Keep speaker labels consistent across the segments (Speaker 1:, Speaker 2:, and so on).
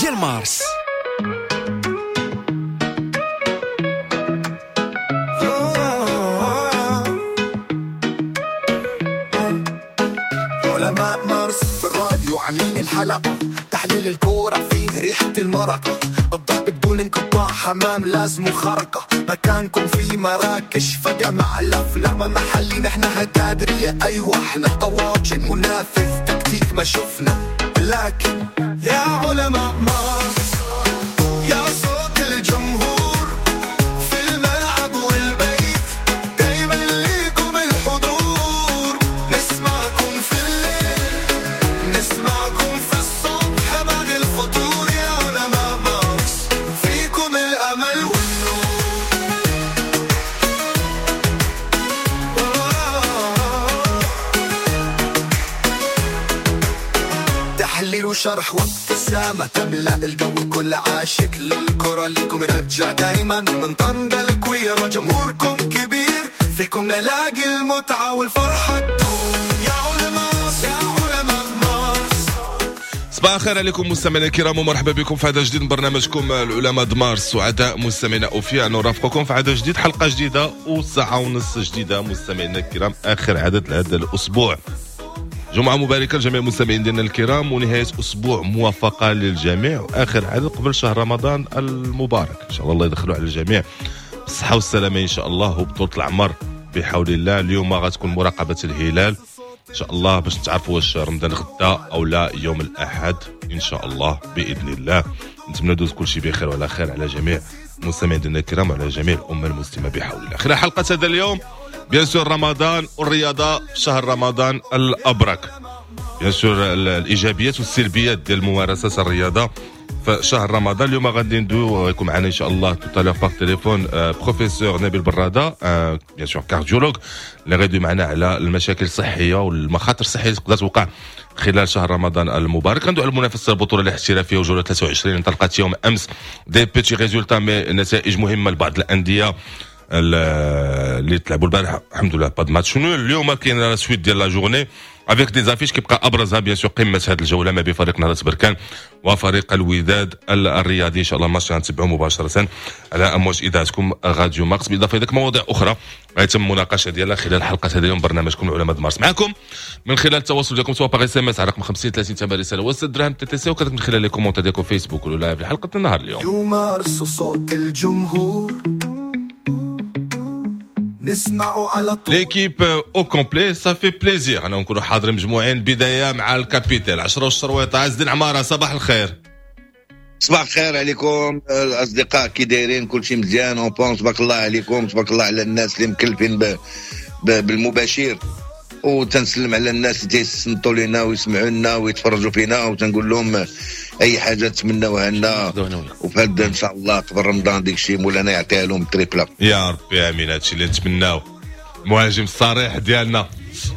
Speaker 1: ديال مارس.
Speaker 2: علماء مارس في الراديو عاملين الحلقة، تحليل الكورة فيه ريحة المرقة، الضرب بدون انقطاع، حمام لازم خرقة، مكانكم في مراكش فجمع الأفلام محلي، نحن هكادرية أيوة احنا طواجن، منافذ تكتيك ما شفنا، لكن يا علماء مارس يا صوت الجمهور في الملعب والبيت، دايما ليكم الحضور، نسمعكم في الليل نسمعكم في الصبح بعد الفطور، يا علماء مارس فيكم الأمل والنور. تحليل وشرح وابتسامة تملأ الجو، كل عاشق للكرة ليكم رجع دايما، من طنجة الكويرة جمهوركم كبير، فيكم نلاقي المتعة والفرحة تدوم، يا علماء يا علماء مارس.
Speaker 3: صباح الخير عليكم مستمعينا الكرام، ومرحبا بكم في هذا جديد من برنامجكم العلماء د مارس. سعداء مستمعينا اوفياء نرافقكم في عدد جديد، حلقة جديدة وساعة ونص جديدة مستمعينا الكرام، اخر عدد لهذا الاسبوع. جمعة مباركة لجميع المستمعين ديالنا الكرام، ونهاية أسبوع موفقة للجميع، وآخر عدد قبل شهر رمضان المبارك. إن شاء الله الله يدخلوا على الجميع بالصحة والسلامة إن شاء الله، وبطولة العمر بحول الله. اليوم غتكون مراقبة الهلال إن شاء الله باش تعرفوا واش رمضان غدا أو لا يوم الأحد إن شاء الله بإذن الله. نتمنى دوز كل شيء بخير وعلى خير على جميع المستمعين ديالنا الكرام وعلى جميع الأمة المسلمة بحول الله. خلال حلقة هذا اليوم bien sûr رمضان والرياضة في شهر رمضان الأبرك، bien sûr الإيجابيات والسلبيات ديال ممارسة الرياضة في شهر رمضان. اليوم غادي ندويو غيكون معنا إن شاء الله tout à l'heure par téléphone professeur نبيل برادة، bien sûr cardiologue، اللي غادي معنا على المشاكل الصحية والمخاطر الصحية اللي تقدر توقع خلال شهر رمضان المبارك. غندوي على المنافسة البطولة الاحترافية وجوله 23 انطلقت يوم أمس، des petits résultats mais نتائج مهمة لبعض الأندية اللي تلعبوا البارح، الحمد لله pas de match nul. اليوم كاين la suite ديال la journée avec des affiches كيبقى ابرزها bien sûr قمة هذه الجولة ما بين فريق نهضة بركان وفريق الوداد الرياضي. ان شاء الله الماتش غنتبعوا مباشرة على امواج اذاعتكم راديو مارس، بالاضافة الى مواضيع اخرى غيتم المناقشة ديالها خلال حلقة هذا اليوم برنامجكم العلماء مارس. معكم من خلال التواصل ديالكم سواء par SMS على رقم 50 30 8 رسالة و6 دراهم TTC، وكذلك من خلال les commentaires ديالكم فيسبوك ولا live لحلقة النهار اليوم.
Speaker 2: مارس صوت الجمهور نسمعوا على طول،
Speaker 3: l'équipe au complet، ça fait plaisir انا نكونوا حاضرين مجموعين. بداية مع ال capitaine 10 والشرويطه عز الدين عمارة، صباح الخير.
Speaker 4: صباح الخير عليكم الاصدقاء، كي دايرين؟ كلشي مزيان en bon؟ تبارك الله عليكم، تبارك الله على الناس اللي مكلفين بالمباشر، وتنسلم على الناس اللي تيصنتوا لنا ويسمعوا لنا ويتفرجوا فينا، وتنقول لهم اي حاجة تمناوها لنا، وفي هذا ان شاء الله قبل رمضان ديك الشيء مولانا يعطيها لهم triplé
Speaker 3: يا ربي امين. هادشي اللي نتمناو. المهاجم الصريح ديالنا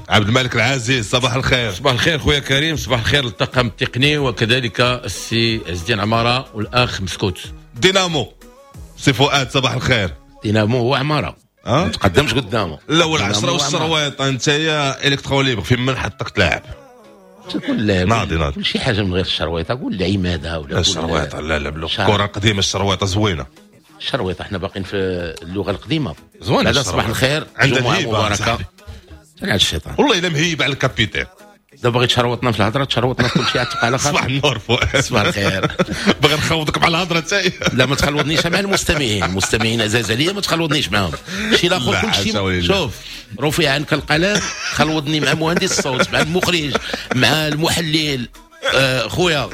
Speaker 3: عبد الملك العزيز، صباح الخير.
Speaker 5: صباح الخير خويا كريم، صباح الخير للطاقم التقني وكذلك السي عز الدين عمارة والاخ مسكوت.
Speaker 3: دينامو سي فؤاد، صباح الخير.
Speaker 5: دينامو هو عمارة، ما تقدمش قدامه.
Speaker 3: لا والعشرة والشرويط انت يا électron libre، فين من حطك تلعب؟
Speaker 5: تكون لاعب
Speaker 3: ناضي ناضي
Speaker 5: كل شي حاجة من غير الشرويطه، قول العماده ولا
Speaker 3: الشرويطه. لا لا الكره القديمة الشرويطه زوينة.
Speaker 5: الشرويطه احنا باقيين في اللغة القديمة
Speaker 3: زوينة.
Speaker 5: هذا صباح الخير، جمعه مباركة. على الشيطان
Speaker 3: والله الا مهيب على ال capitaine.
Speaker 5: دابا بغيت تشروطنا في الهضرة، تشروطنا في كل شيء، تبقى على خاطر.
Speaker 3: صباح النور فؤاد.
Speaker 5: صباح الخير.
Speaker 3: باغي نخوضك مع الهضرة تاعي.
Speaker 5: لا ما تخلوضنيش مع المستمعين، المستمعين عزاز عليا ما تخلوضنيش معاهم. شي الاخر كل شيء شوف رفع عنك القلم، خلوضني مع مهندس الصوت، مع المخرج، مع المحلل، خويا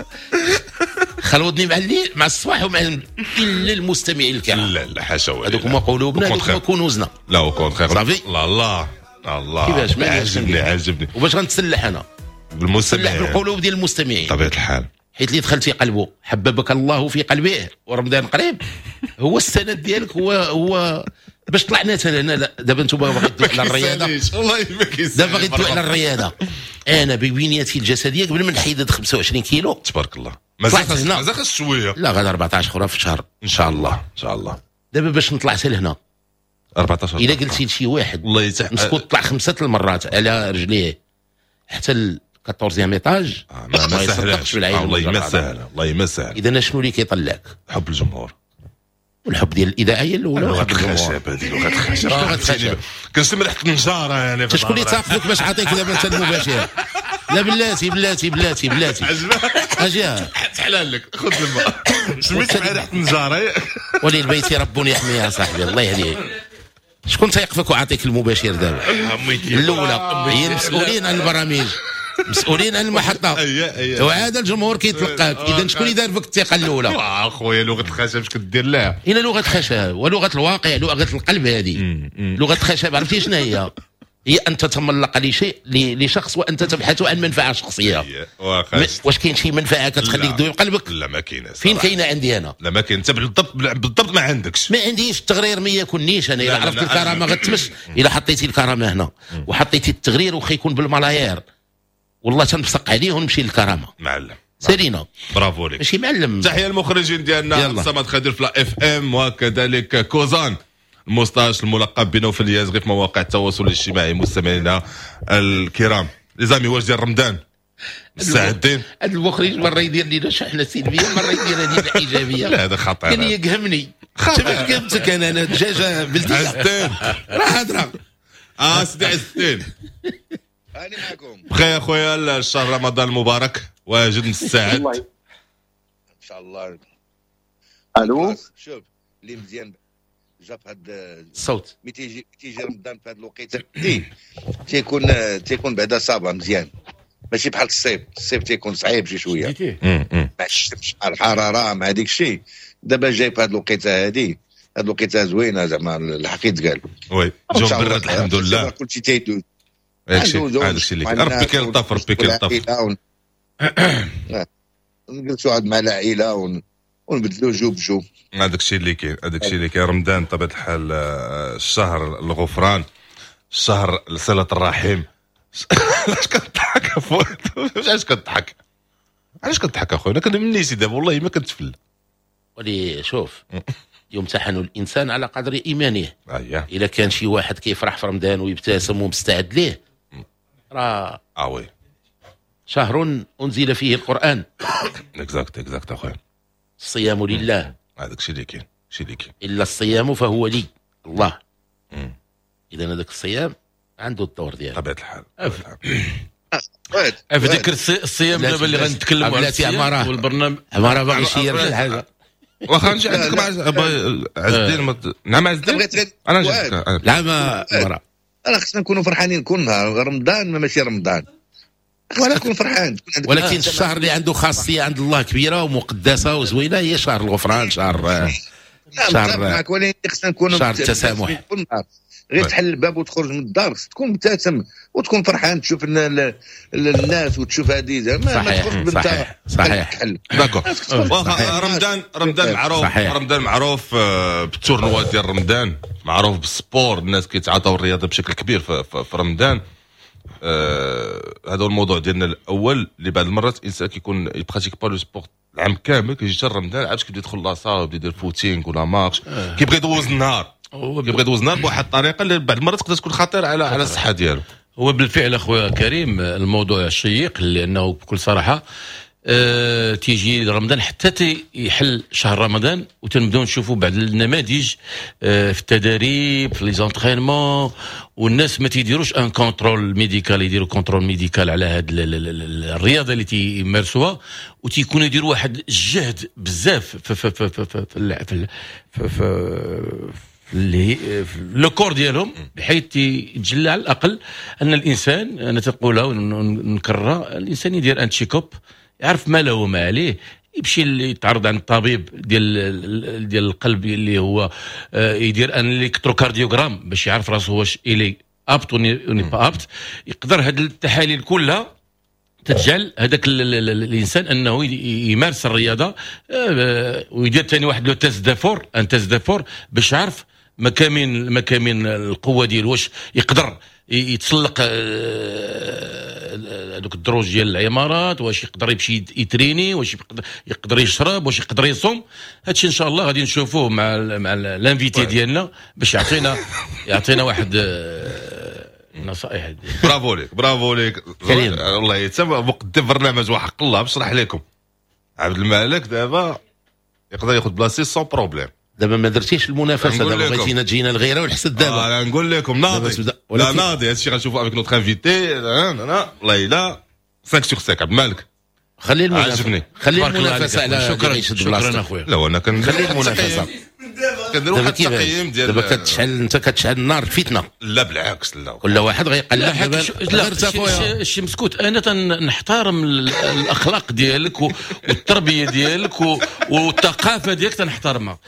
Speaker 5: خلوضني مع الليل مع الصباح ومع الا المستمعين الكرام.
Speaker 3: لا لا حاشا،
Speaker 5: هذوك هما قلوبنا، هذوك هما كنوزنا.
Speaker 3: لا au contraire
Speaker 5: صافي.
Speaker 3: الله الله الله،
Speaker 5: كيفاش ما
Speaker 3: عجبني عجبني.
Speaker 5: وباش غنتسلح انا؟
Speaker 3: بالمستمعين،
Speaker 5: بالقلوب ديال المستمعين
Speaker 3: بطبيعة الحال،
Speaker 5: حيت اللي دخلتي قلبه حببك الله في قلبه، ورمضان قريب هو السند ديالك، هو باش طلعنا هنا. دابا انتم باغي تدوي على الرياضة،
Speaker 3: والله ما كيساليش.
Speaker 5: دابا باغي تدوي على الرياضة. انا ببنيتي الجسدية قبل ما نحيد 25 كيلو
Speaker 3: تبارك الله، مازال خاص شوية.
Speaker 5: لا غدا 14 اخرى في الشهر
Speaker 3: ان شاء الله. ان شاء الله.
Speaker 5: دابا باش نطلع حتى لهنا
Speaker 3: 14
Speaker 5: الا قلتي لشي واحد
Speaker 3: والله
Speaker 5: مسكوت طلع 5 المرات على رجليه حتى 14 étage.
Speaker 3: ما سهلاش. والله ما سهلة، والله ما سهلة.
Speaker 5: اذا شنو اللي كيطلعك؟
Speaker 3: حب الجمهور
Speaker 5: والحب ديال الاذاعة هي الاولى.
Speaker 3: لغة الخشب هذه، لغة الخشب.
Speaker 5: لغة الخشب.
Speaker 3: كنشم ريحه النجاره يعني.
Speaker 5: شكون اللي تافقك باش عطيك دابا انت المباشر؟ لا بلاتي بلاتي بلاتي بلاتي، اجي
Speaker 3: تحلال لك، خذ الماء. سميت مع ريحه النجاره.
Speaker 5: ولي البيت رب يحميها صاحبي، الله يهديك. شكون تيقفك وعطيك المباشر دابا؟ الاولى هي المسؤولين عن البرامج، مسؤولين عن المحطة، وعاد الجمهور كيتلقاك. اذا شكون اللي دار فيك الثقة الاولى؟
Speaker 3: اخويا لغة الخشب اش كدير لها؟
Speaker 5: الى لغة الخشب ولغة الواقع، لغة القلب هذه. لغة الخشب عرفتي شنو هي؟ هي ان تتملق لشيء لشخص وانت تبحث عن منفعه شخصية. واش كاين شي منفعه كتخليك دوي بقلبك؟
Speaker 3: لا ما كاينه.
Speaker 5: فين كاينه عندي انا؟
Speaker 3: لا ما كاين. انت بالضبط بالضبط ما عندكش.
Speaker 5: ما عنديش التغرير، ما يكونيش انا. الا عرفت الكرامة غتمس. الا حطيتي الكرامة هنا وحطيتي التغرير وخا يكون بالملايير، والله تنبصق عليه ونمشي للكرامه.
Speaker 3: معلم
Speaker 5: سالينا،
Speaker 3: برافو لك.
Speaker 5: ماشي معلم.
Speaker 3: تحية المخرجين ديالنا صمد خدير في la FM، وكذلك كوزان الموستاش الملقب بنوفل اليازغي في مواقع التواصل الاجتماعي. مستمعينا الكرام، les amis، واش ديال رمضان مستعدين؟
Speaker 5: هذا المخرج مرة يدير لنا شحنه سلبية، مرة يدير لنا ايجابية.
Speaker 3: لا هذا خطير.
Speaker 5: كان يقهمني. كيفاش قهمتك انا؟ انا دجاجه بلديه.
Speaker 3: عز الدين
Speaker 5: راه هضره.
Speaker 3: سيدي عز الدين،
Speaker 4: انا معكم
Speaker 3: بخير اخويا. الشهر رمضان المبارك، واجد مستعد
Speaker 4: ان شاء الله.
Speaker 1: الو،
Speaker 4: شوف اللي مزيان جا في هاد
Speaker 5: الصوت،
Speaker 4: ملي تيجي رمضان في هاد الوقيته تيكون بعدا صابه مزيان، ماشي بحال الصيف. الصيف تيكون صعيب شي شوية مع الشمس مع الحرارة مع ديك الشيء. دابا جاي في هاد الوقيته هادي، هاد الوقيته زوينة زعما الحق يتقال.
Speaker 3: oui جو برد الحمد لله،
Speaker 4: كلشي تيدوز.
Speaker 3: هادشي اللي كاين. ربي كيلطف، ربي كيلطف.
Speaker 4: نجلسوا عاد مع العائلة ونبدلوا جو بجو.
Speaker 3: هذاك الشيء اللي كاين، هذاك الشيء اللي كاين. رمضان بطبيعة الحال الشهر الغفران، الشهر صلة الرحم. علاش كتضحك اخويا؟ علاش كتضحك؟ علاش كتضحك اخويا؟ انا كندوي من نيتي دابا، والله ما كنتفل.
Speaker 5: ولي شوف، يمتحن الانسان على قدر ايمانه. الا كان شي واحد كيفرح في رمضان ويبتسم ومستعد ليه، راه
Speaker 3: oui
Speaker 5: شهر انزل فيه القران.
Speaker 3: exact exact اخويا.
Speaker 5: الصيام لله،
Speaker 3: هذاك الشيء اللي كاين، الشيء اللي كاين.
Speaker 5: الا الصيام فهو لي الله. اذا هذاك الصيام عنده الدور ديالو
Speaker 3: بطبيعة الحال.
Speaker 6: في ذكر الصيام دابا اللي غنتكلموا على
Speaker 5: الصيام
Speaker 6: والبرنامج،
Speaker 5: عمارة باغي يشير شي حاجة.
Speaker 3: واخا نجي عندك مع عز الدين. نعم عز الدين، انا نجي.
Speaker 5: لا ما عمارة،
Speaker 4: انا خصنا نكونوا فرحانين كل نهار. رمضان ماشي رمضان، خصنا نكون فرحان.
Speaker 5: ولكن الشهر اللي عنده خاصية عند الله كبيرة ومقدسه وزوينه هي شهر الغفران، شهر
Speaker 4: شهر ولكن خصنا نكونوا
Speaker 5: شهر التسامح.
Speaker 4: غير تحل الباب وتخرج من الدار خصك تكون مبتسم وتكون فرحان، تشوف الناس وتشوف هذه زعما ما تخرج.
Speaker 5: صحيح صحيح
Speaker 3: d'accord. رمضان رمضان معروف، رمضان معروف بال tournoi ديال رمضان، معروف بال sport، الناس كيتعاطاو الرياضة بشكل كبير في رمضان. هذا هو الموضوع ديالنا الاول، اللي بعض المرات الانسان كيكون ي pratique pas le sport العام كامل، كيجي حتى رمضان عاد كيبدا يدخل la salle ويبدا يدير footing ولا marche، كيبغي يدوز النهار، كيبغي يدوز النهار بواحد الطريقة اللي بعض المرات تقدر تكون خطيرة على الصحة ديالو.
Speaker 6: هو بالفعل اخويا كريم الموضوع شيق، لانه بكل صراحة تيجي رمضان حتى يحل شهر رمضان وتنبداو نشوفوا بعض النماذج في التدريب في les entraînements، والناس ما تيديروش un contrôle médical، يديروا contrôle médical على هاد الرياضة اللي تيمارسوها، وتيكونوا يديروا واحد الجهد بزاف في في في في في, في, في اللي le corps ديالهم، بحيث يتجلى على الاقل ان الانسان، انا تنقولها ونكررها، الانسان يدير un check-up، يعرف ما له وما عليه، يمشي يتعرض عند الطبيب ديال القلب اللي هو يدير un électrocardiogramme باش يعرف راسو واش il est apte ou n'est pas apte. يقدر هاد التحاليل كلها تتجعل هذاك الانسان انه يمارس الرياضة، ويدير ثاني واحد le test d'effort، un test d'effort باش يعرف مكامين القوة ديالو، واش يقدر يتسلق هذوك الدروج ديال العمارات، واش يقدر يمشي يتريني، واش يقدر يشرب، واش يقدر يصوم. هادشي ان شاء الله غادي نشوفوه مع l'invité ديالنا باش يعطينا واحد النصائح.
Speaker 3: برافو ليك، برافو ليك والله. حتى مقدم برنامج وحق الله بشرح لكم عبد الملك دابا يقدر ياخذ بلاصتي sans problème.
Speaker 5: دابا ما درتيش المنافسه، دابا بغيتينا تجينا الغيرة والحسد دابا.
Speaker 3: انا نقول لكم ناضي، لا ناضي هادشي غنشوفوا avec notre invité. والله الا 5 sur 5 عبد الملك.
Speaker 5: خلي المنافسه، خلي المنافسة على.
Speaker 6: شكرا شكرا اخويا.
Speaker 3: لا انا
Speaker 5: خلي المنافسه.
Speaker 3: كندير واحد التقييم ديال
Speaker 5: دابا كتشعل انت، كتشعل النار الفتنه.
Speaker 3: لا بالعكس، لا
Speaker 5: كل واحد غيقلب.
Speaker 6: لا شي مسكوت، انا تنحترم الاخلاق ديالك والتربية ديالك والثقافة ديالك تنحترمها،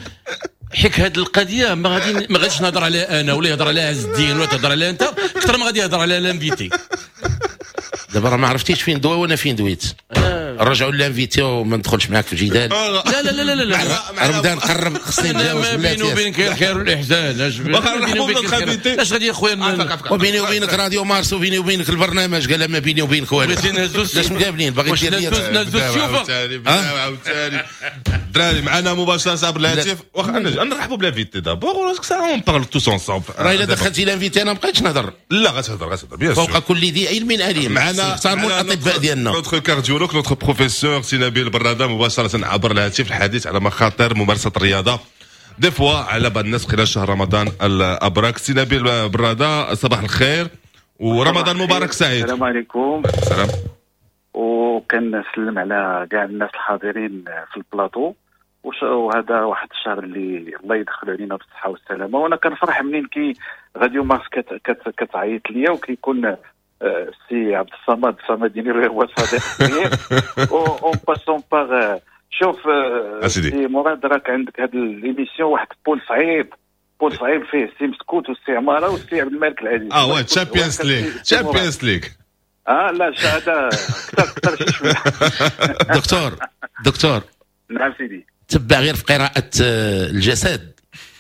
Speaker 6: حيت هذه القضية ما غاديش نهضر عليها انا ولا يهضر عليها عز الدين ولا تهضر عليها انت، اكثر ما غادي يهضر عليها l'invité.
Speaker 5: دابا راه ما عرفتيش فين دوا وانا فين دويت. رجعوا l'invité وما ندخلش معاك في الجدال.
Speaker 6: لا لا لا لا لا،
Speaker 5: رمضان قرب خصني نتجاوز.
Speaker 6: ما بيني وبينك الخير والاحسان. اش غادي يا خويا؟
Speaker 5: وبيني وبينك راديو مارس وبيني وبينك البرنامج، قال ما بيني وبينك والو. لاش مقابلين؟ باغي دير
Speaker 6: لي نهزو السيوفه
Speaker 3: عاوتاني. الدراري معنا مباشرة عبر الهاتف، واخا نرحبوا ب l'invité d'abord ولا ça on parle tous ensemble.
Speaker 5: راه الا دخلتي l'invité انا ما بقيتش نهضر.
Speaker 3: لا غتهضر غتهضر bien sûr.
Speaker 5: فوق كل ذي علم عليم.
Speaker 3: معنا
Speaker 5: احترموا الاطباء ديالنا.
Speaker 3: notre cardiologue، notre professeur سي نبيل براده مباشرة عبر الهاتف، الحديث على مخاطر ممارسة الرياضة des fois على بعض الناس خلال شهر رمضان الابرك. سي نبيل براده صباح الخير ورمضان مبارك سعيد.
Speaker 7: السلام عليكم.
Speaker 3: السلام.
Speaker 7: وكنسلم على كاع الناس الحاضرين في البلاطو، وهذا واحد الشهر اللي الله يدخل علينا بالصحة والسلامة. وانا كنفرح منين كي راديو مارس كتعيط ليا وكيكون السي عبد الصمد الصمديني اللي هو صديق كبير. en passant par شوف سي مراد، راك عندك هاد l'émission واحد poule صعيب، poule صعيب فيه السي مسكوت والسي عمارة والسي عبد الملك العزيز.
Speaker 3: oui Champions League، Champions League.
Speaker 7: لا هذا اكثر شي شوية.
Speaker 5: دكتور دكتور.
Speaker 7: نعم سيدي.
Speaker 5: تبع غير في قراءة الجسد،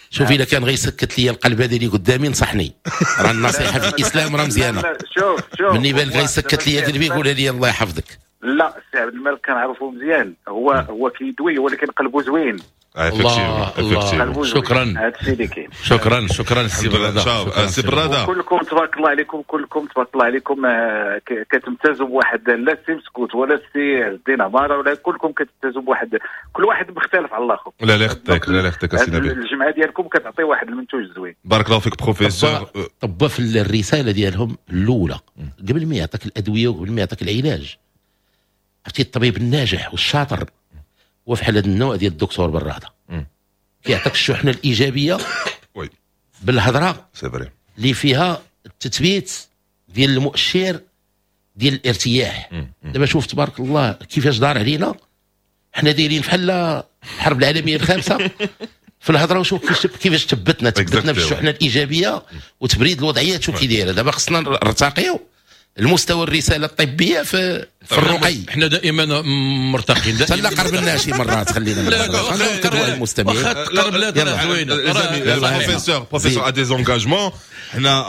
Speaker 5: شوف الا كان غيسكت لي القلب هذا اللي قدامي نصحني، راه النصيحة في الاسلام راه مزيانه.
Speaker 7: شوف شوف
Speaker 5: مني بالك غيسكت لي قلبي قولها لي الله يحفظك.
Speaker 7: لا السي عبد الملك كنعرفو مزيان، هو كيدوي ولكن قلبه زوين.
Speaker 6: الله الله، شكرا.
Speaker 7: هذا الشيء اللي كاين.
Speaker 6: شكرا شكرا سي براده.
Speaker 3: سي براده
Speaker 7: كلكم تبارك الله عليكم، كلكم تبارك الله عليكم كتمتازوا بواحد، لا السي مسكوت ولا السي عز الدين عمارة ولا كلكم كتمتازوا بواحد، كل واحد مختلف على الاخر.
Speaker 3: لا لا يخطيك، لا لا يخطيك السي نبيل.
Speaker 7: الجمعة ديالكم كتعطي واحد المنتوج زوين.
Speaker 3: بارك الله فيك بروفيسور.
Speaker 5: طب في الرسالة ديالهم الاولى قبل ما يعطيك الادوية وقبل ما يعطيك العلاج، عرفتي الطبيب الناجح والشاطر هو فحال هذا النوع ديال الدكتور براده، كيعطيك الشحنة الايجابية بالهضره اللي فيها التثبيت ديال المؤشر ديال الارتياح. دابا شوف تبارك الله كيفاش دار علينا، حنا دايرين بحال الحرب العالمية الخامسة في الهضرة، وشوف كيفاش تثبتنا بالشحنه الايجابية وتبريد الوضعية. شوف كي دايرة دابا، خصنا نرتقيو المستوى الرسالة الطبية في الرقي.
Speaker 6: احنا دائما مرتقين،
Speaker 5: لا قربنا شي مرات، خلينا نكذبوا على المستمعين.
Speaker 6: قرب لا زوينة.
Speaker 3: professeur a des engagements. حنا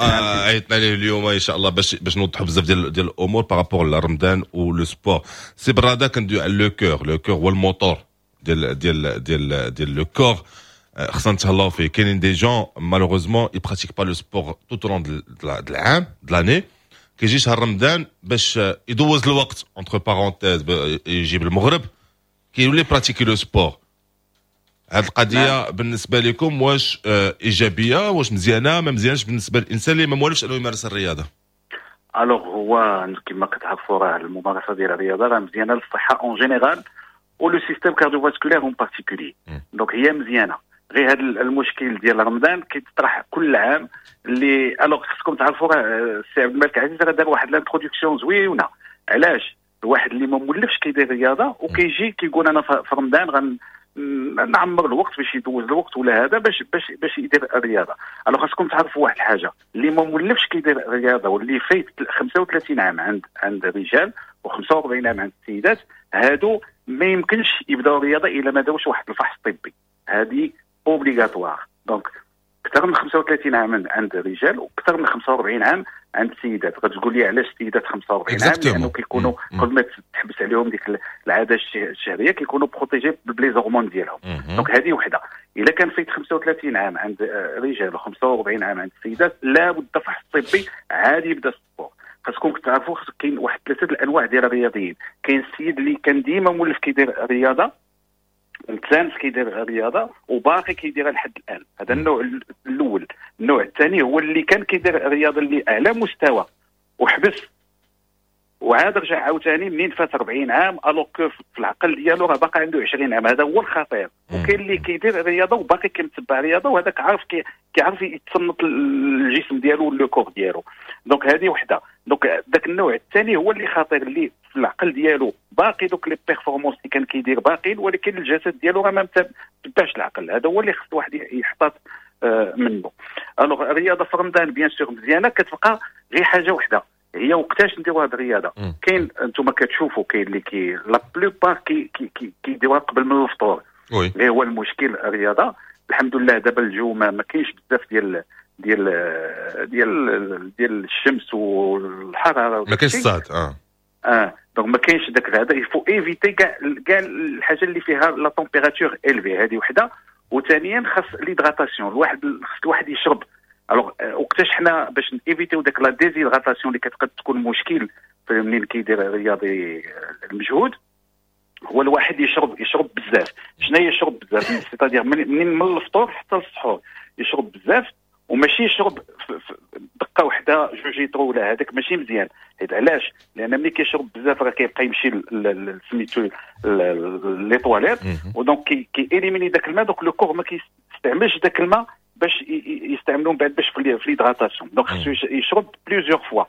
Speaker 3: عيطنا ليه اليوم ان شاء الله باش نوضحوا بزاف ديال الامور par rapport لرمضان و le sport. سي براده كندوي على le cœur، le cœur هو الموتور ديال ديال ديال ديال le corps، خصنا نتهلاو فيه. كاينين des gens malheureusement ils pratiquent pas le sport tout au long de العام de l'année، كيجي شهر رمضان باش يدوز الوقت entre parenthèses، يجيب المغرب كيولي pratiquer le sport. هاد القضية بالنسبة لكم واش ايجابية، واش مزيانه ما مزيانش بالنسبة للانسان اللي ما موالفش انه يمارس الرياضة؟
Speaker 7: alors هو كما كتعرفوا راه الممارسة ديال الرياضة راه مزيانه للصحة en général و le système cardiovasculaire en particulier، donc هي مزيانه. غير هذا المشكل ديال رمضان كيتطرح كل عام اللي alors خصكم تعرفوا راه السي عبد الملك عزيز راه دار واحد l'introduction زوينة. علاش؟ الواحد اللي ما مولفش كيدير رياضة وكيجي كيقول انا في رمضان غنعمر الوقت باش يدوز الوقت ولا هذا باش باش باش يدير الرياضة. alors خصكم تعرفوا واحد الحاجة، اللي ما مولفش كيدير الرياضة واللي فايت 35 عام عند الرجال و45 عام عند السيدات، هادو ما يمكنش يبداو الرياضة الا ما داروش واحد الفحص طبي. هذه obligatoire. donc اكثر من 35 عام عند الرجال واكثر من 45 عام عند السيدات. غتقول لي علاش السيدات 45 عام؟ لانه كيكونوا قبل ما تحبس عليهم ديك العادة الشهرية كيكونوا protégés ب les hormones ديالهم. donc هذه وحده. الا كان فايت 35 عام عند الرجال و45 عام عند السيدات، لا بد فحص طبي عادي يبدا ال sport. خاصكم تعرفوا كاين واحد ثلاثة الانواع ديال الرياضيين. كاين السيد اللي كان ديما مولف كيدير رياضة، متسانس كيدير رياضة وباقي كيديرها لحد الان، هذا النوع الاول. النوع الثاني هو اللي كان كيدير رياضة اللي اعلى مستوى وحبس وعاد رجع عاوتاني منين فات 40 عام، alors que في العقل ديالو راه باقي عنده 20 عام، هذا هو الخطير. وكاين اللي كيدير رياضة وباقي كيتبع رياضة، وهذاك عارف كيعرف يتصنت الجسم ديالو و le corps ديالو. donc هذه وحده. donc ذاك النوع الثاني هو اللي خطير، اللي في العقل ديالو باقي دوك les performances اللي كان كيدير باقي، ولكن الجسد ديالو راه ما تبعش العقل. هذا هو اللي خص الواحد يحتاط منه. alors الرياضة في رمضان bien sûr مزيانه، كتبقى غير حاجة وحده، هي وقتاش نديروا هذه الرياضة. كاين انتم كتشوفوا كاين اللي كي la plupart كي كي كيديروها قبل من الفطور. غير هو المشكل الرياضة الحمد لله دابا الجو ما كاينش بزاف ديال ديال ديال ديال الشمس والحرارة،
Speaker 3: ما كاينش الصهد.
Speaker 7: Donc ما كاينش داك هذا، il faut éviter كاع الحاجة اللي فيها la température élevée، هذه وحده. وثانيا خاص l'hydratation، الواحد خاص الواحد يشرب. alors وقتاش حنا باش éviter داك la déshydratation اللي كتقد تكون مشكل منين كيدير الرياضي المجهود، هو الواحد يشرب بزاف. شنو هي يشرب بزاف؟ c'est-à-dire منين من الفطور حتى للسحور يشرب بزاف، وماشي يشرب دقه وحده جوج لتر ولا هذاك ماشي مزيان. حيت علاش؟ لان ملي كيشرب بزاف راه كيبقى يمشي سميتو les toilettes، و donc كي éliminer داك الماء. donc le corps ما كيستعملش داك الماء باش يستعملوا من بعد باش في l'hydratation. donc خصو يشرب plusieurs fois،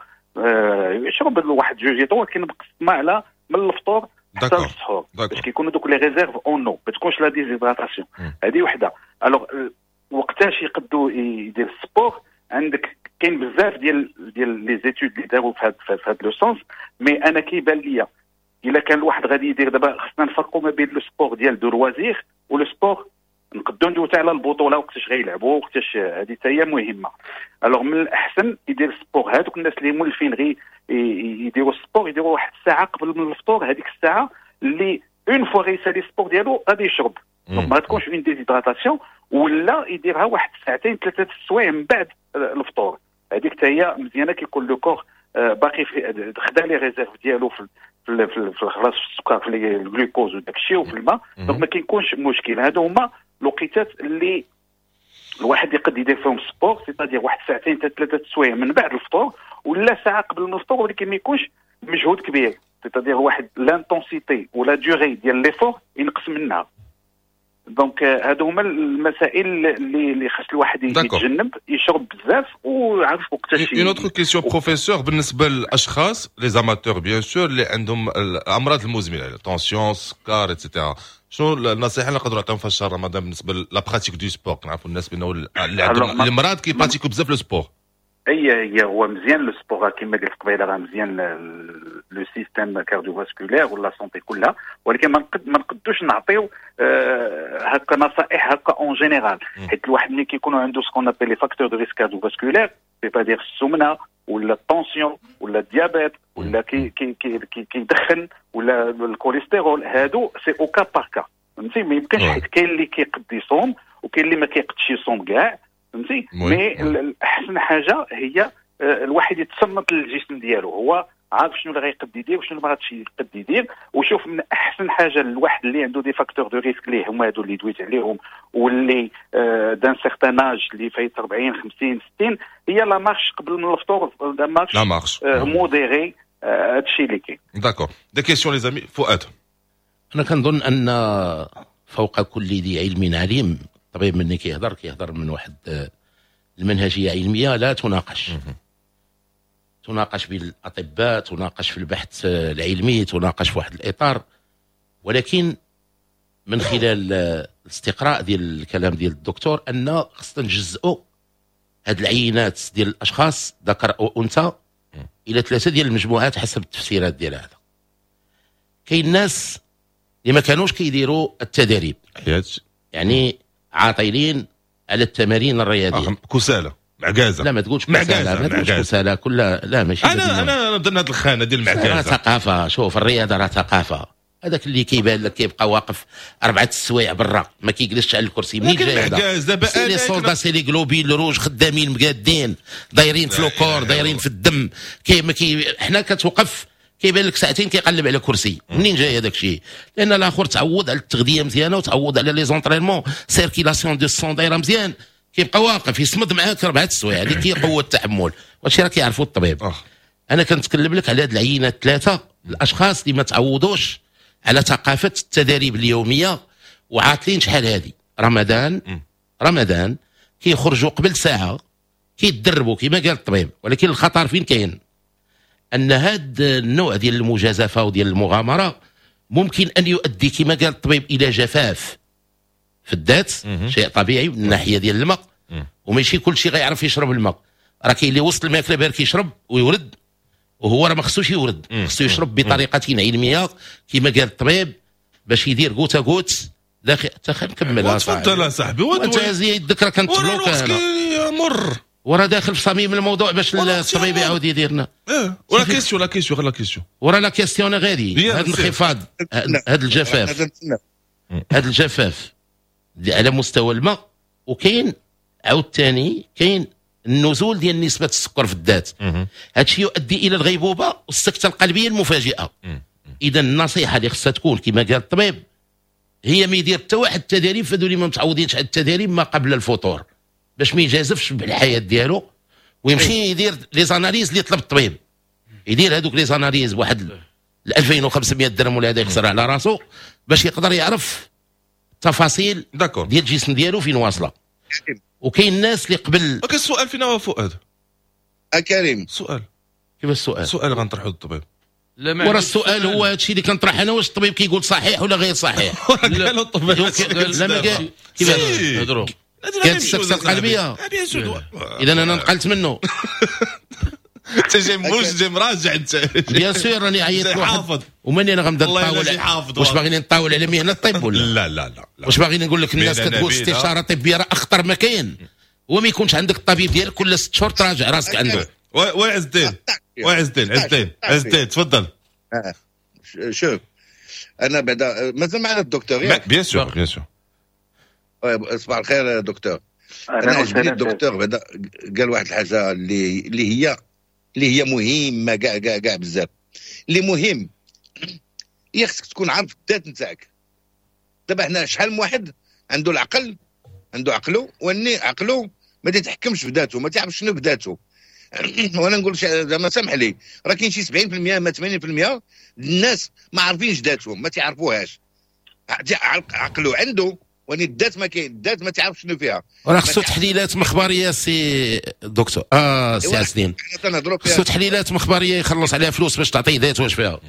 Speaker 7: يشرب واحد جوج لتر، ولكن مقسمة على من الفطور حتى للسحور باش كيكونوا دوك les réserves en eau، ما تكونش la déshydratation. هذه وحده. alors وقتاش يقدوا يدير ال sport؟ عندك كاين بزاف ديال les études اللي داروا في هذا le sens، mais انا كيبان ليا الا كان الواحد غادي يدير دابا خصنا نفرقوا ما بين le sport ديال de loisir و le sport نقدروا ندويو حتى على البطوله، وقتاش غيلعبوا وقتاش، هذه حتى هي مهمة. alors من الاحسن يدير sport هذوك الناس اللي مولفين غير يديروا sport، يديروا واحد الساعة قبل من الفطور، هذيك الساعة اللي une fois غيسالي sport ديالو غادي يشرب، donc ما تكونش une déshydratation. ولا يديرها واحد ساعتين ثلاثة السوايع من بعد الفطور، هذيك حتى هي مزيانه، كيكون le corps باقي في خدا les réserves ديالو في خلاص في السكر، في الجلوكوز وداك الشيء وفي الماء، donc ما كيكونش مشكل. هادو هما الوقيتات اللي الواحد يقد يدير فيهم sport، c'est-à-dire واحد ساعتين حتى ثلاثة السوايع من بعد الفطور ولا ساعة قبل من الفطور، ولكن ما يكونش مجهود كبير، c'est-à-dire واحد l'intensité ولا durée ديال l'effort ينقص منها. donc هادو هما المسائل اللي خاص الواحد يتجنب، يشرب بزاف وعارف وقتاش.
Speaker 3: une autre question professeur، بالنسبة للاشخاص les amateurs bien sûr اللي عندهم الامراض المزمنه، tension، سكر et cetera، شنو النصيحة اللي نقدروا نعطيهم في شهر رمضان بالنسبة la pratique du sport؟ نعرفوا الناس بانه اللي عندهم المرض كي pratiquer بزاف le sport.
Speaker 7: اي هي هو مزيان le sport، كما قلت قبيلة راه مزيان le système cardiovasculaire ولا santé كلها، ولكن ما نقدوش نعطيو هكا نصائح هكا en général، حيت الواحد ملي كيكونوا عنده ce qu'on appelle les facteurs de risque cardiovasculaire، c'est-à-dire السمنة ولا ال tension ولا ال diabète ولا كي كي كي كيدخن ولا الكوليسترول، هادو c'est au cas par cas، فهمتي؟ ما يمكنش، حيت كاين اللي كيقد يصوم وكاين اللي ما كيقدش يصوم كاع، فهمتي؟ mais احسن حاجة هي الواحد يتصنت للجسم ديالو، هو عارف شنو اللي غيقد يدير وشنو اللي ما غاديش يقد يدير. وشوف، من احسن حاجة الواحد اللي عنده des facteurs de risque اللي هما هادو اللي دويت عليهم واللي d'un certain âge، اللي فايت 40 50 60، هي la marche قبل من الفطور، la marche
Speaker 3: la marche
Speaker 7: modérée، هادشي اللي كاين.
Speaker 3: d'accord، des questions les amis؟ فؤاد.
Speaker 5: انا كنظن ان فوق كل ذي علم عليم. الطبيب مني كيهضر كيهضر من واحد المنهجية علمية لا تناقش، تناقش بالاطباء، تناقش في البحث العلمي، تناقش في واحد الاطار، ولكن من خلال الاستقراء ديال الكلام ديال الدكتور ان خصنا نجزئوا هاد العينات ديال الاشخاص ذكر او انثى الى ثلاثة ديال المجموعات حسب التفسيرات ديال هذا. كاين ناس اللي ما كانوش كيديروا التدريب، يعني عاطلين. على التمارين الرياضية.
Speaker 3: كسالى معكازه.
Speaker 5: لا ما تقولش كسالى، ما تقولش كسالى كلها، لا ماشي.
Speaker 3: انا ضمن هذه الخانة ديال المعكازه.
Speaker 5: راه ثقافة، شوف الرياضة راه ثقافة. هذاك اللي كيبان لك كيبقى واقف 4 السوايع برا ما كيجلسش على الكرسي، منين جاي
Speaker 3: هذا؟
Speaker 5: c'est les soldats، c'est les globules rouges خدامين مقادين دايرين في le corps، دايرين في الدم. كي حنا كتوقف كيبان لك ساعتين كيقلب على كرسي، منين جاي هذاك الشيء؟ لان الاخر تعوض على التغذية مزيانه وتعوض على les entraînements، circulation du sang دايرة مزيان، كيبقى واقف يصمد معاك 4 السوايع. هذيك هي قوة التحمل، وهادشي راه كيعرفوا الطبيب. انا كنتكلم لك على هاد العينات الثلاثة، الاشخاص اللي ما تعوضوش على ثقافة التدريب اليومية وعاطلين شحال هادي. رمضان كيخرجوا قبل ساعة كيتدربوا كما قال الطبيب. ولكن الخطر فين كاين؟ ان هذا النوع ديال المجازفة وديال المغامرة ممكن ان يؤدي كما قال الطبيب الى جفاف في الذات، شيء طبيعي من الناحية ديال الماء، وماشي كل شيء غيعرف يشرب الماء. راه كاين اللي وسط الماكلة بارك يشرب ويورد، وهو راه ما خصوش يورد، خصو يشرب بطريقة علمية كما قال الطبيب باش يدير goutte à goutte داخل. حتى نكمل.
Speaker 3: تفضل صاحبي.
Speaker 5: وانت يدك راه كنتبلوك
Speaker 3: مر
Speaker 5: وراه داخل في صميم الموضوع باش الطبيب يعاود يدير لنا.
Speaker 3: ولا question، la question، غير la question.
Speaker 5: ورا la question غادي هذا الانخفاض، هذا الجفاف، هذا الجفاف على مستوى الماء، وكاين عاوتاني كاين النزول ديال نسبه السكر في الذات. هذا الشيء يؤدي الى الغيبوبه والسكته القلبية المفاجئة. اذا النصيحة اللي خصها تكون كما قال الطبيب هي ما يدير حتى واحد التدريب، فهذو اللي ما متعودينش على التدريب ما قبل الفطور باش ما يجازفش بالحياة ديالو، ويمشي يدير les analyses اللي طلب الطبيب، يدير هذوك les analyses بواحد 2500 درهم ولا هذا يخسر على راسو باش يقدر يعرف التفاصيل ديال الجسم ديالو فين واصله. وكاين الناس اللي قبل.
Speaker 3: okay السؤال فين هو فؤاد؟
Speaker 4: كريم
Speaker 3: سؤال.
Speaker 5: كيف السؤال؟
Speaker 3: سؤال غنطرحو للطبيب.
Speaker 5: ورا السؤال هو هادشي اللي كنطرح انا، واش الطبيب كيقول صحيح ولا غير صحيح؟
Speaker 3: قال الطبيب
Speaker 5: لا ما قال. كيفاش
Speaker 6: هضروا؟
Speaker 5: كانت السكتة القلبية. اذا انا نقلت منه.
Speaker 3: انت جاي موجد جاي مراجع انت.
Speaker 5: bien sûr راني عيطت لواحد وماني انا غنبدا نطاول. واش باغيين نطاول على مهنة الطب ولا؟
Speaker 3: لا لا لا.
Speaker 5: واش باغيين نقول لك الناس كتقول استشاره طبية راه اخطر ما كاين، هو ما يكونش عندك الطبيب ديالك كل 6 شهور تراجع راسك عنده.
Speaker 3: oui عز الدين، oui عز الدين، عز الدين، عز الدين تفضل.
Speaker 4: شوف انا بعدا مازال معنا الدكتور ياك؟
Speaker 3: bien sûr bien sûr.
Speaker 4: صباح الخير دكتور. انا عجبني الدكتور بعدا قال واحد الحاجة اللي هي مهمة كاع كاع كاع بزاف. اللي مهم هي خصك تكون عارف الذات نتاعك. دابا حنا شحال من واحد عنده العقل، عنده عقله، واني عقله ما تيتحكمش في ذاته، ما تعرفش شنو بذاته. وانا نقول زعما سامح لي، راه كاين شي 70% ما 80% الناس ما عارفينش ذاتهم، ما تعرفوهاش. عقله عنده واني الذات ما كاين، الذات ما تعرفش شنو فيها.
Speaker 5: راه خصو تحليلات مخبريه سي دكتور، سي عز الدين، خصو تحليلات مخبريه يخلص عليها فلوس باش تعطيه ذات واش فيها.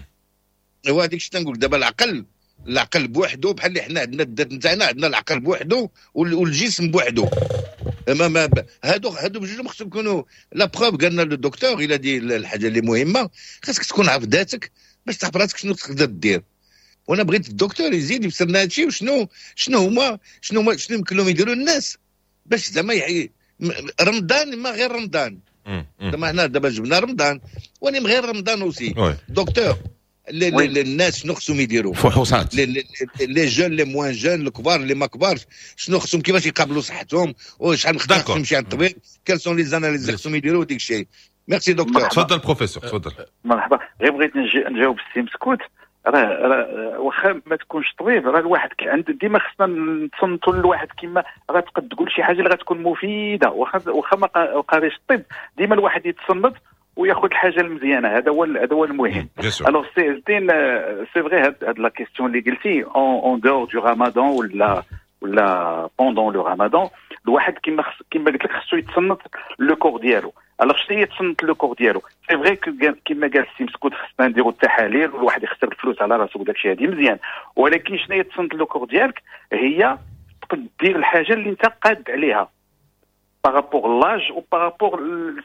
Speaker 4: هو هذيك الشيء تنقول دابا العقل، العقل بوحدو بحال اللي حنا عندنا الذات نتاعنا، عندنا العقل بوحدو والجسم بوحدو. ما هادو بجوج خصهم يكونوا la preuve. قالنا le docteur الى دي الحاجة اللي مهمة، خاصك تكون عارف ذاتك باش تعرف راسك شنو تقدر دير. وانا بغيت الدكتور يزيد يفسر لنا هادشي، وشنو شنو هما شنو شنو يمكن لهم يديروا الناس باش زعما رمضان ما غير رمضان. زعما حنا دابا جبنا رمضان وانا من غير رمضان aussi docteur. الناس شنو خصهم يديروا؟
Speaker 5: فحوصات
Speaker 4: les jeunes les moins jeunes، الكبار اللي ما كبارش، شنو خصهم كيفاش يقابلوا صحتهم، وشحال من خطره خصهم يمشي عند الطبيب، quelles sont les analyses خصهم يديروا ديك الشيء. merci docteur.
Speaker 3: تفضل بروفيسور تفضل.
Speaker 7: مرحبا. غير بغيت نجاوب السي مسكوت. راه واخا ما تكونش طبيب، راه الواحد عند ديما خصنا نتصنتوا للواحد، كيما راه تقد تقول شي حاجة اللي غتكون مفيدة، واخا ما قاريش الطب، ديما الواحد يتصنت وياخذ الحاجة المزيانه. هذا هو المهم. alors سي الدين، c'est vrai هاد la question اللي قلتي en dehors du ramadan ولا pendant le ramadan، الواحد كيما قلت لك خصو يتصنت le corps ديالو. alors شنو هي تصنت le corps ديالو؟ c'est vrai كيما قال السي مسكوت خصنا نديرو التحاليل والواحد يخسر الفلوس على راسو وداك الشيء هادي مزيان، ولكن شنو هي تصنت le corps ديالك؟ هي تقدر دير الحاجة اللي انت قاد عليها par rapport l'âge و par rapport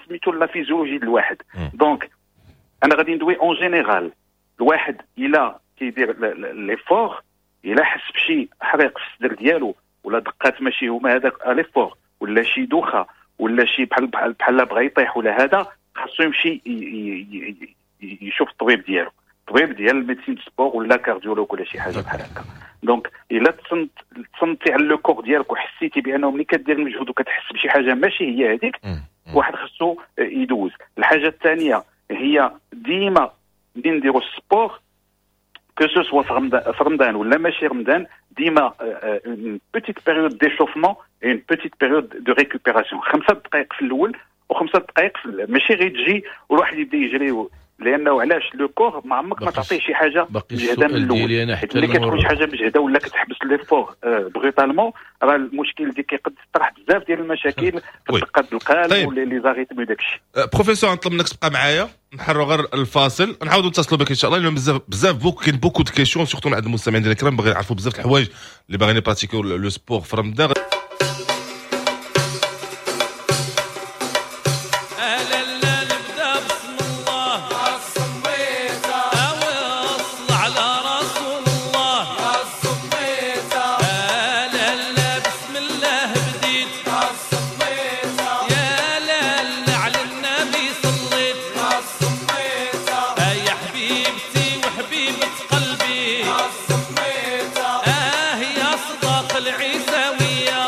Speaker 7: سميتو la physiologie ديال الواحد. donc انا غادي ندوي en général. الواحد الا كيدير l'effort، الا حس بشي حريق في الصدر ديالو ولا دقات ماشي هما هذاك l'effort، ولا شي دوخه، ولا شي بحال بحال بحال بغى يطيح ولا هذا، خاصو يمشي يشوف الطبيب ديالو، الطبيب ديال ال médecine sport ولا cardiologue ولا شي حاجة بحال هكا. donc الا تصنتي على le corps ديالك وحسيتي بانه ملي كدير المجهود وكتحس بشي حاجة ماشي هي هذيك، واحد خصو يدوز. الحاجة الثانية هي ديما ملي نديرو ال sport، que ce soit في رمضان ولا ماشي رمضان، ديما une petite période d'échauffement، une petite période de récupération، 5 دقائق في الاول و5 دقائق، ماشي غير تجي والواحد يبدا يجري، لانه علاش؟ le corps ما عمرك ما تعطيه شي حاجة مجهده من الاول، حيت ملي كتكون شي حاجة مجهده ولا كتحبس l'effort brutalement، راه المشكل ديال كيقد تطرح بزاف ديال المشاكل في دقات القلب. طيب. ولا les arythmies داكشي.
Speaker 3: بروفيسور، نطلب منك تبقى معايا، نحروا غير الفاصل، نعاودوا نتصلوا بك ان شاء الله، لانه بزاف بزاف beaucoup كاين beaucoup de questions، surtout من عند المستمعين ديال الكرام، باغيين يعرفوا بزاف الحوايج اللي باغيين يبراتيكيو le sport في رمضان.
Speaker 8: لا نبدا بسم الله اوصل على رسول الله. لا لا بسم الله بديت، يا لا على النبي صليت، يا حبيبتي وحبيبة قلبي، يا صداق العيساوية.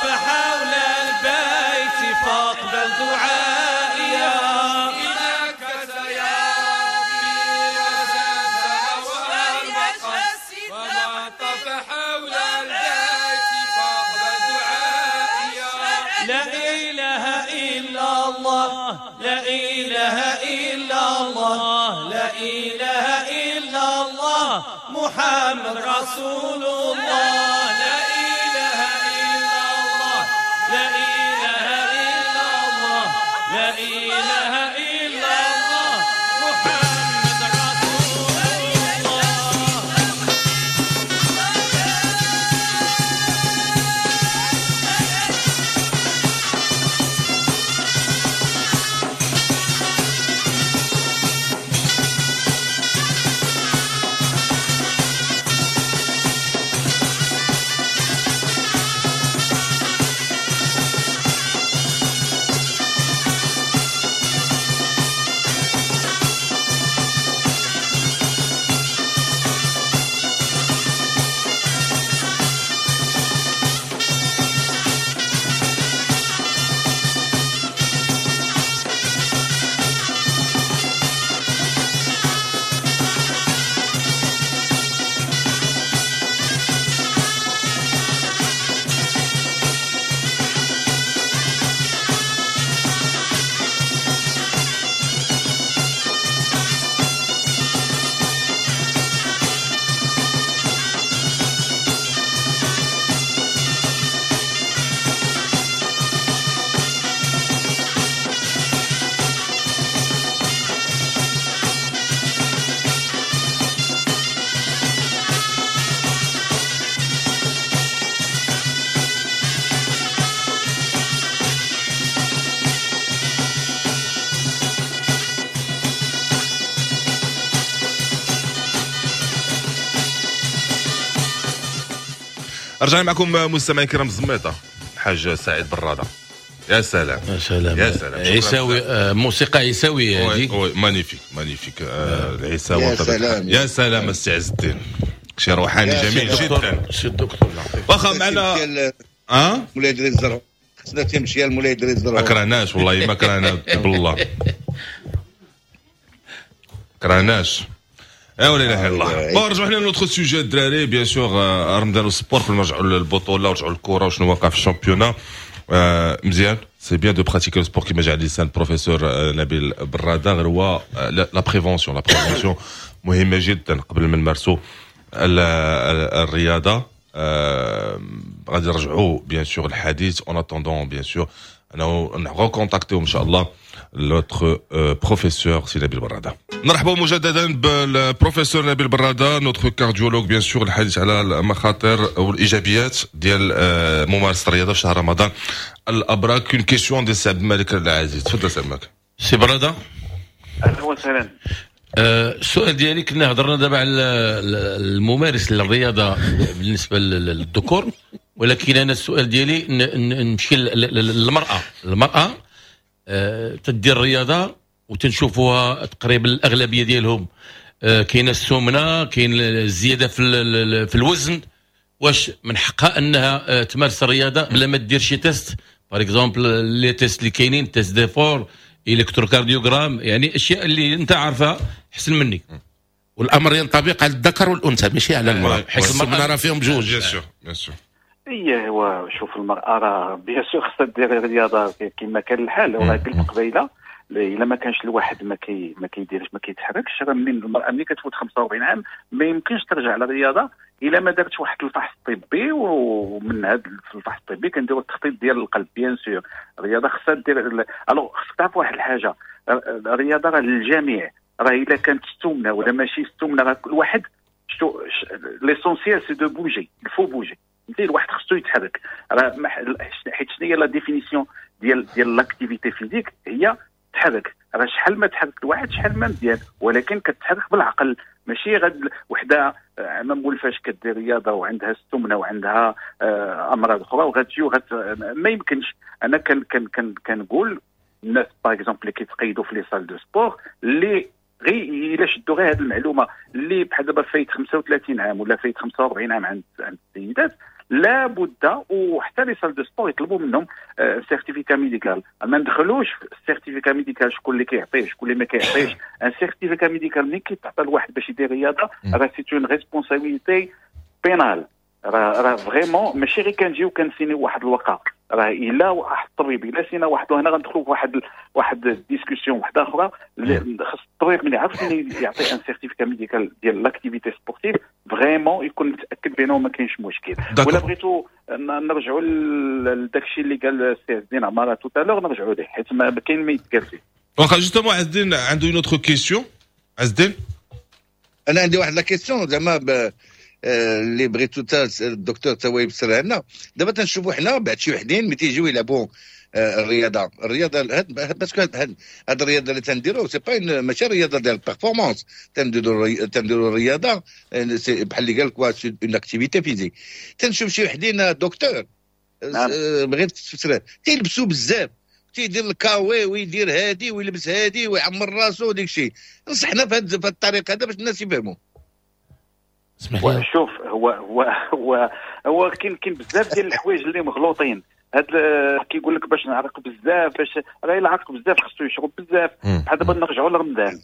Speaker 8: طاف حول البيت فاقبل دعائي. إليك يا ربي وما طاف حول البيت فاقبل دعائي. لا إله إلا الله، لا إله إلا الله، لا إله إلا الله، محمد رسول الله. لا إله إلا الله، لا إله إلا الله، لا إله إلا الله، محمد رسول الله.
Speaker 3: رجعنا معكم مستمعين الكرام. الزميطه الحاج سعيد براده، يا سلام
Speaker 6: يا سلام
Speaker 3: يا سلام.
Speaker 6: عيساوي، موسيقى عيساويه هذه.
Speaker 3: oui magnifique magnifique. العيساوي
Speaker 4: يا سلام
Speaker 3: يا سلام السي عز الدين، شي روحاني جميل جدا.
Speaker 6: سي الدكتور
Speaker 3: واخا معنا
Speaker 4: مولاي ادريس الزرهوني، خصنا تمشي لمولاي ادريس الزرهوني.
Speaker 3: ما كرهناش والله، ما كرهنا بالله، كرهناش. لا اله الا الله. bon رجعوا حنا ل notre sujet الدراري، bien sûr رمضان وال sport. قبل ما نرجعوا للبطولة ورجعوا للكرة وشنو واقع في ال championnat، مزيان c'est bien de pratiquer le sport كيما جا على لسان بروفيسور نبيل براده. غير هو la prévention، la prévention مهمة جدا قبل ما نمارسوا الرياضة. غادي نرجعوا bien sûr الحديث en attendant bien sûr انه نrecontactيو ان شاء الله notre professeur سي نبيل براده. نرحبوا مجددا بالبروفيسور نبيل براده notre cardiologue bien sûr، الحديث على المخاطر والايجابيات ديال ممارسة الرياضة في شهر رمضان الابرك. une question ديال سي عبد الملك العزيز، تفضل سي عبد الملك.
Speaker 6: سي براده
Speaker 7: اهلا وسهلا.
Speaker 6: السؤال ديالي، كنا هضرنا دابا على الممارس للرياضة بالنسبة للذكور، ولكن انا السؤال ديالي نمشي للمراة. المراة تدير الرياضة وتنشوفوها تقريبا الاغلبية ديالهم كاينه السمنة، كاين الزيادة في الوزن. واش من حقها انها تمارس الرياضة بلا ما دير شي test؟ par exemple les tests اللي كاينين، test d'effort، électrocardiogramme، يعني اشياء اللي انت عارفها احسن مني.
Speaker 5: والامر ينطبق على الذكر والانثى ماشي على المراة، حيت السمنة راه فيهم بجوج.
Speaker 3: bien sûr bien sûr.
Speaker 7: ايه هو شوف المراة راه bien sûr خصها دير الرياضة كما كان الحال. وراه قلت قبيلة الا ما كانش الواحد ما كيديرش ما كيتحركش، راه من المراة ملي كتفوت 45 عام ما يمكنش ترجع للرياضة الا ما دارتش واحد الفحص طبي. ومن هذا الفحص الطبي كنديروا التخطيط ديال القلب. bien sûr الرياضة خصها دير. alors خصك تعرف واحد الحاجة، الرياضة راه للجميع، راه الا كانت السمنة ولا ماشي السمنة راه كل واحد l'essentiel c'est de bouger، il faut bouger. فهمتي، الواحد خصو يتحرك. راه حيت شنو هي la définition ديال l'activité physique؟ هي تحرك. راه شحال ما تحرك الواحد شحال ما مزيان، ولكن كتحرك بالعقل، ماشي غد وحده ما مولفاش كدير رياضة وعندها السمنة وعندها امراض اخرى وغتجي ما يمكنش. انا كان كان كان كنقول الناس par exemple اللي كيتقيدوا في les salles de sport، اللي غير الا شدوا غير هذه المعلومة، اللي بحال دابا فايت 35 عام ولا فايت 45 عام عند السيدات، لابد وحتى les salles de sport يطلبوا منهم certificat médical. ما ندخلوش في ال certificat médical شكون اللي كيعطيه شكون اللي ما كيعطيش. un certificat médical ملي كيتعطى لواحد باش يدير رياضة راه c'est une responsabilité pénale، راه vraiment ماشي غير كنجيو كنسينيو واحد الورقة. راه الا واحد الطبيب الا سينا واحد، وهنا غندخلوا في واحد discussion واحدة اخرى. خص الطبيب ملي عرف يعطي un certificat médical ديال l'activité sportive vraiment يكون متاكد بانه ما كاينش مشكل. ولا بغيتو نرجعوا لداك الشيء اللي قال السي عز الدين عمارة tout à l'heure نرجعوا ليه حيت ما كاين ما يتقال فيه.
Speaker 3: واخا justement عز الدين عنده une autre question. عز الدين
Speaker 4: انا عندي واحد la question زعما اللي بغيتو تا الدكتور تا هو يفسرها لنا. دابا تنشوفوا حنا بعد شي وحدين ملي تيجيو يلعبوا الرياضة parce que هاد الرياضة اللي تنديرو c'est pas ماشي الرياضة ديال ال performance، تنديرو الرياضة بحال اللي قال لك c'est une activité physique. تنشوف شي وحدين دكتور بغيت تفسرها تيلبسوا بزاف، تيدير الكاوي ويدير هادي ويلبس هادي ويعمر راسو وديك الشيء. نصحنا في هاد الطريقة هذا باش الناس يفهموا.
Speaker 7: شوف هو هو هو هو كاين بزاف ديال الحوايج اللي مغلوطين. هاد كيقول لك باش نعرق بزاف، باش راه الا عرق بزاف خصو يشرب بزاف. بحال دابا نرجعوا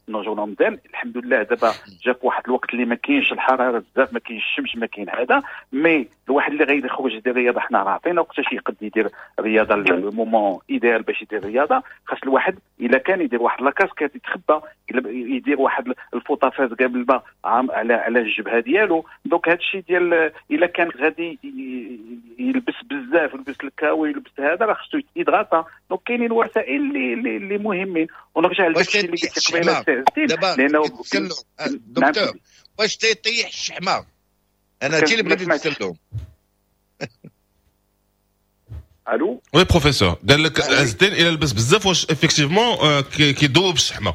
Speaker 7: لرمضان، الحمد لله دابا جا في واحد الوقت اللي ما كاينش الحرارة بزاف، ما كاينش الشمس، ما كاين هذا. mais الواحد اللي غير يخرج يدير رياضة حنا راه عطينا وقتاش يقد يدير رياضة، le moment idéal باش يدير رياضة. خاص الواحد الا كان يدير واحد la casquette يتخبى، يدير واحد الفوطه فازقه بالماء على الجبهة ديالو. donc هذا الشيء ديال الا كان غادي يلبس بزاف، يلبس الكاوي يلبس هذا، راه خصو يتهيدراتا. donc كاينين وسائل اللي مهمين. ونرجع لداك الشيء اللي قلت قبيلة السي عز الدين،
Speaker 4: لانه دكتور واش تيطيح الشحمه؟ انا هادشي اللي بغيت نسالهم.
Speaker 7: الو
Speaker 3: oui professeur، قال لك عز الدين الى لبس بزاف واش effectivement كيذوب الشحمه؟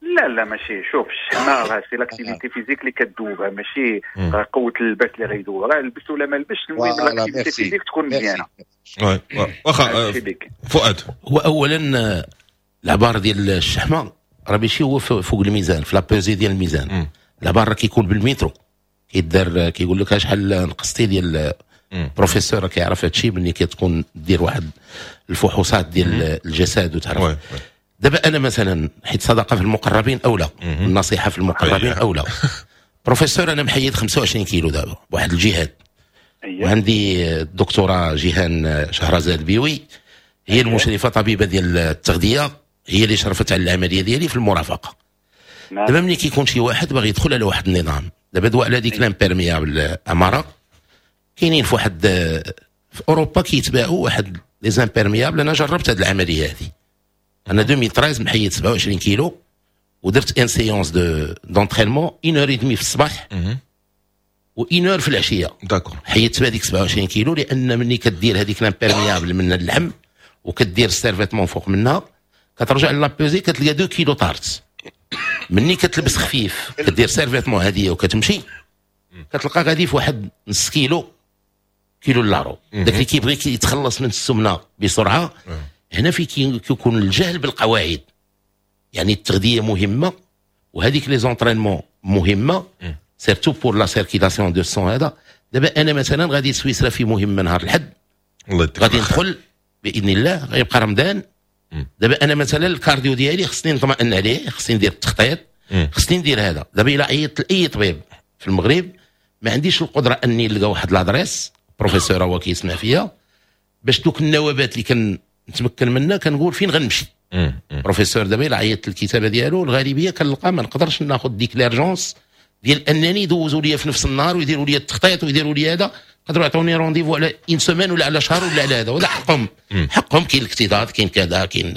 Speaker 7: لا لا ماشي. شوف الشحمه راه c'est l'activité physique اللي كتذوبها، ماشي قوة اللباس اللي غيذوب. راه لبس ولا ما لبسش المهم l'activité physique تكون مزيانه.
Speaker 3: oui واخا فؤاد،
Speaker 5: هو اولا العبار ديال الشحمه راه ماشي هو فوق الميزان، في la pesée ديال الميزان. العبار راه كيكون بالمترو كيدار، كيقول لك شحال نقصتي ديال. بروفيسور كيعرف هادشي ملي كتكون دير واحد الفحوصات ديال الجسد وتعرف. دابا انا مثلا حيت صدقه في المقربين اولى، النصيحة في المقربين اولى. بروفيسور انا محيد 25 كيلو دابا بواحد الجهاد، وعندي الدكتورة جيهان شهرزاد بيوي هي المشرفة طبيبه ديال التغذية، هي اللي شرفت على العملية ديالي في المرافقة. دابا ملي كيكون شي واحد باغي يدخل على واحد النظام، دابا دواء على ديك l'imperméable اماره كاينين في واحد في اوروبا كيتباعوا واحد les imperméables. انا جربت هذه العملية هذه، انا 2013 محيد 27 كيلو ودرت une séance d'entraînement 1h30 في الصباح و 1h في العشية.
Speaker 3: d'accord
Speaker 5: حيدت بهذيك 27 كيلو، لان ملي كدير هذيك l'imperméable من اللحم وكدير ال survêtement فوق منها كترجع la pesée كتلقى 2 كيلو طارت. مني كتلبس خفيف كدير survêtement هذه وكتمشي كتلقى غادي في واحد نص كيلو كيلو لارو. داك اللي كيبغي يتخلص من السمنة بسرعة هنا في كيكون الجهل بالقواعد. يعني التغذية مهمة وهذيك les entraînements مهمة surtout pour la circulation du sang. هذا دابا انا مثلا غادي سويسرا في مهمة نهار الحد، غادي ندخل باذن الله غيبقى رمضان. دابا انا مثلا ال cardio ديالي خصني نطمئن عليه، خصني ندير التخطيط، خصني ندير هذا. دابا الا عيطت لاي طبيب في المغرب ما عنديش القدرة اني نلقى واحد l'adresse، professeur هو كيسمع فيا، باش دوك النوبات اللي كنتمكن منها كنقول فين غنمشي. بروفيسور دابا الا عيطت الكتابة ديالو الغالبية كنلقى ما نقدرش ناخذ ديك l'urgence ديال انني يدوزوا لي في نفس النهار ويديروا لي التخطيط ويديروا لي هذا. يقدروا يعطوني rendez-vous على une semaine ولا على شهر ولا على هذا، وهذا حقهم. حقهم، كاين الاكتظاظ، كاين كذا، كاين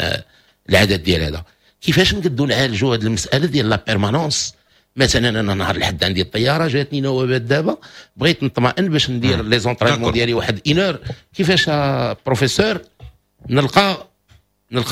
Speaker 5: العدد ديال هذا. كيفاش نقدروا نعالجوا هذه المسالة ديال la permanence؟ مثلا انا نهار الحد عندي الطيارة جاتني نوبات، دابا بغيت نطمئن باش ندير les entraînements ديالي واحد une heure. كيفاش بروفيسور نلقى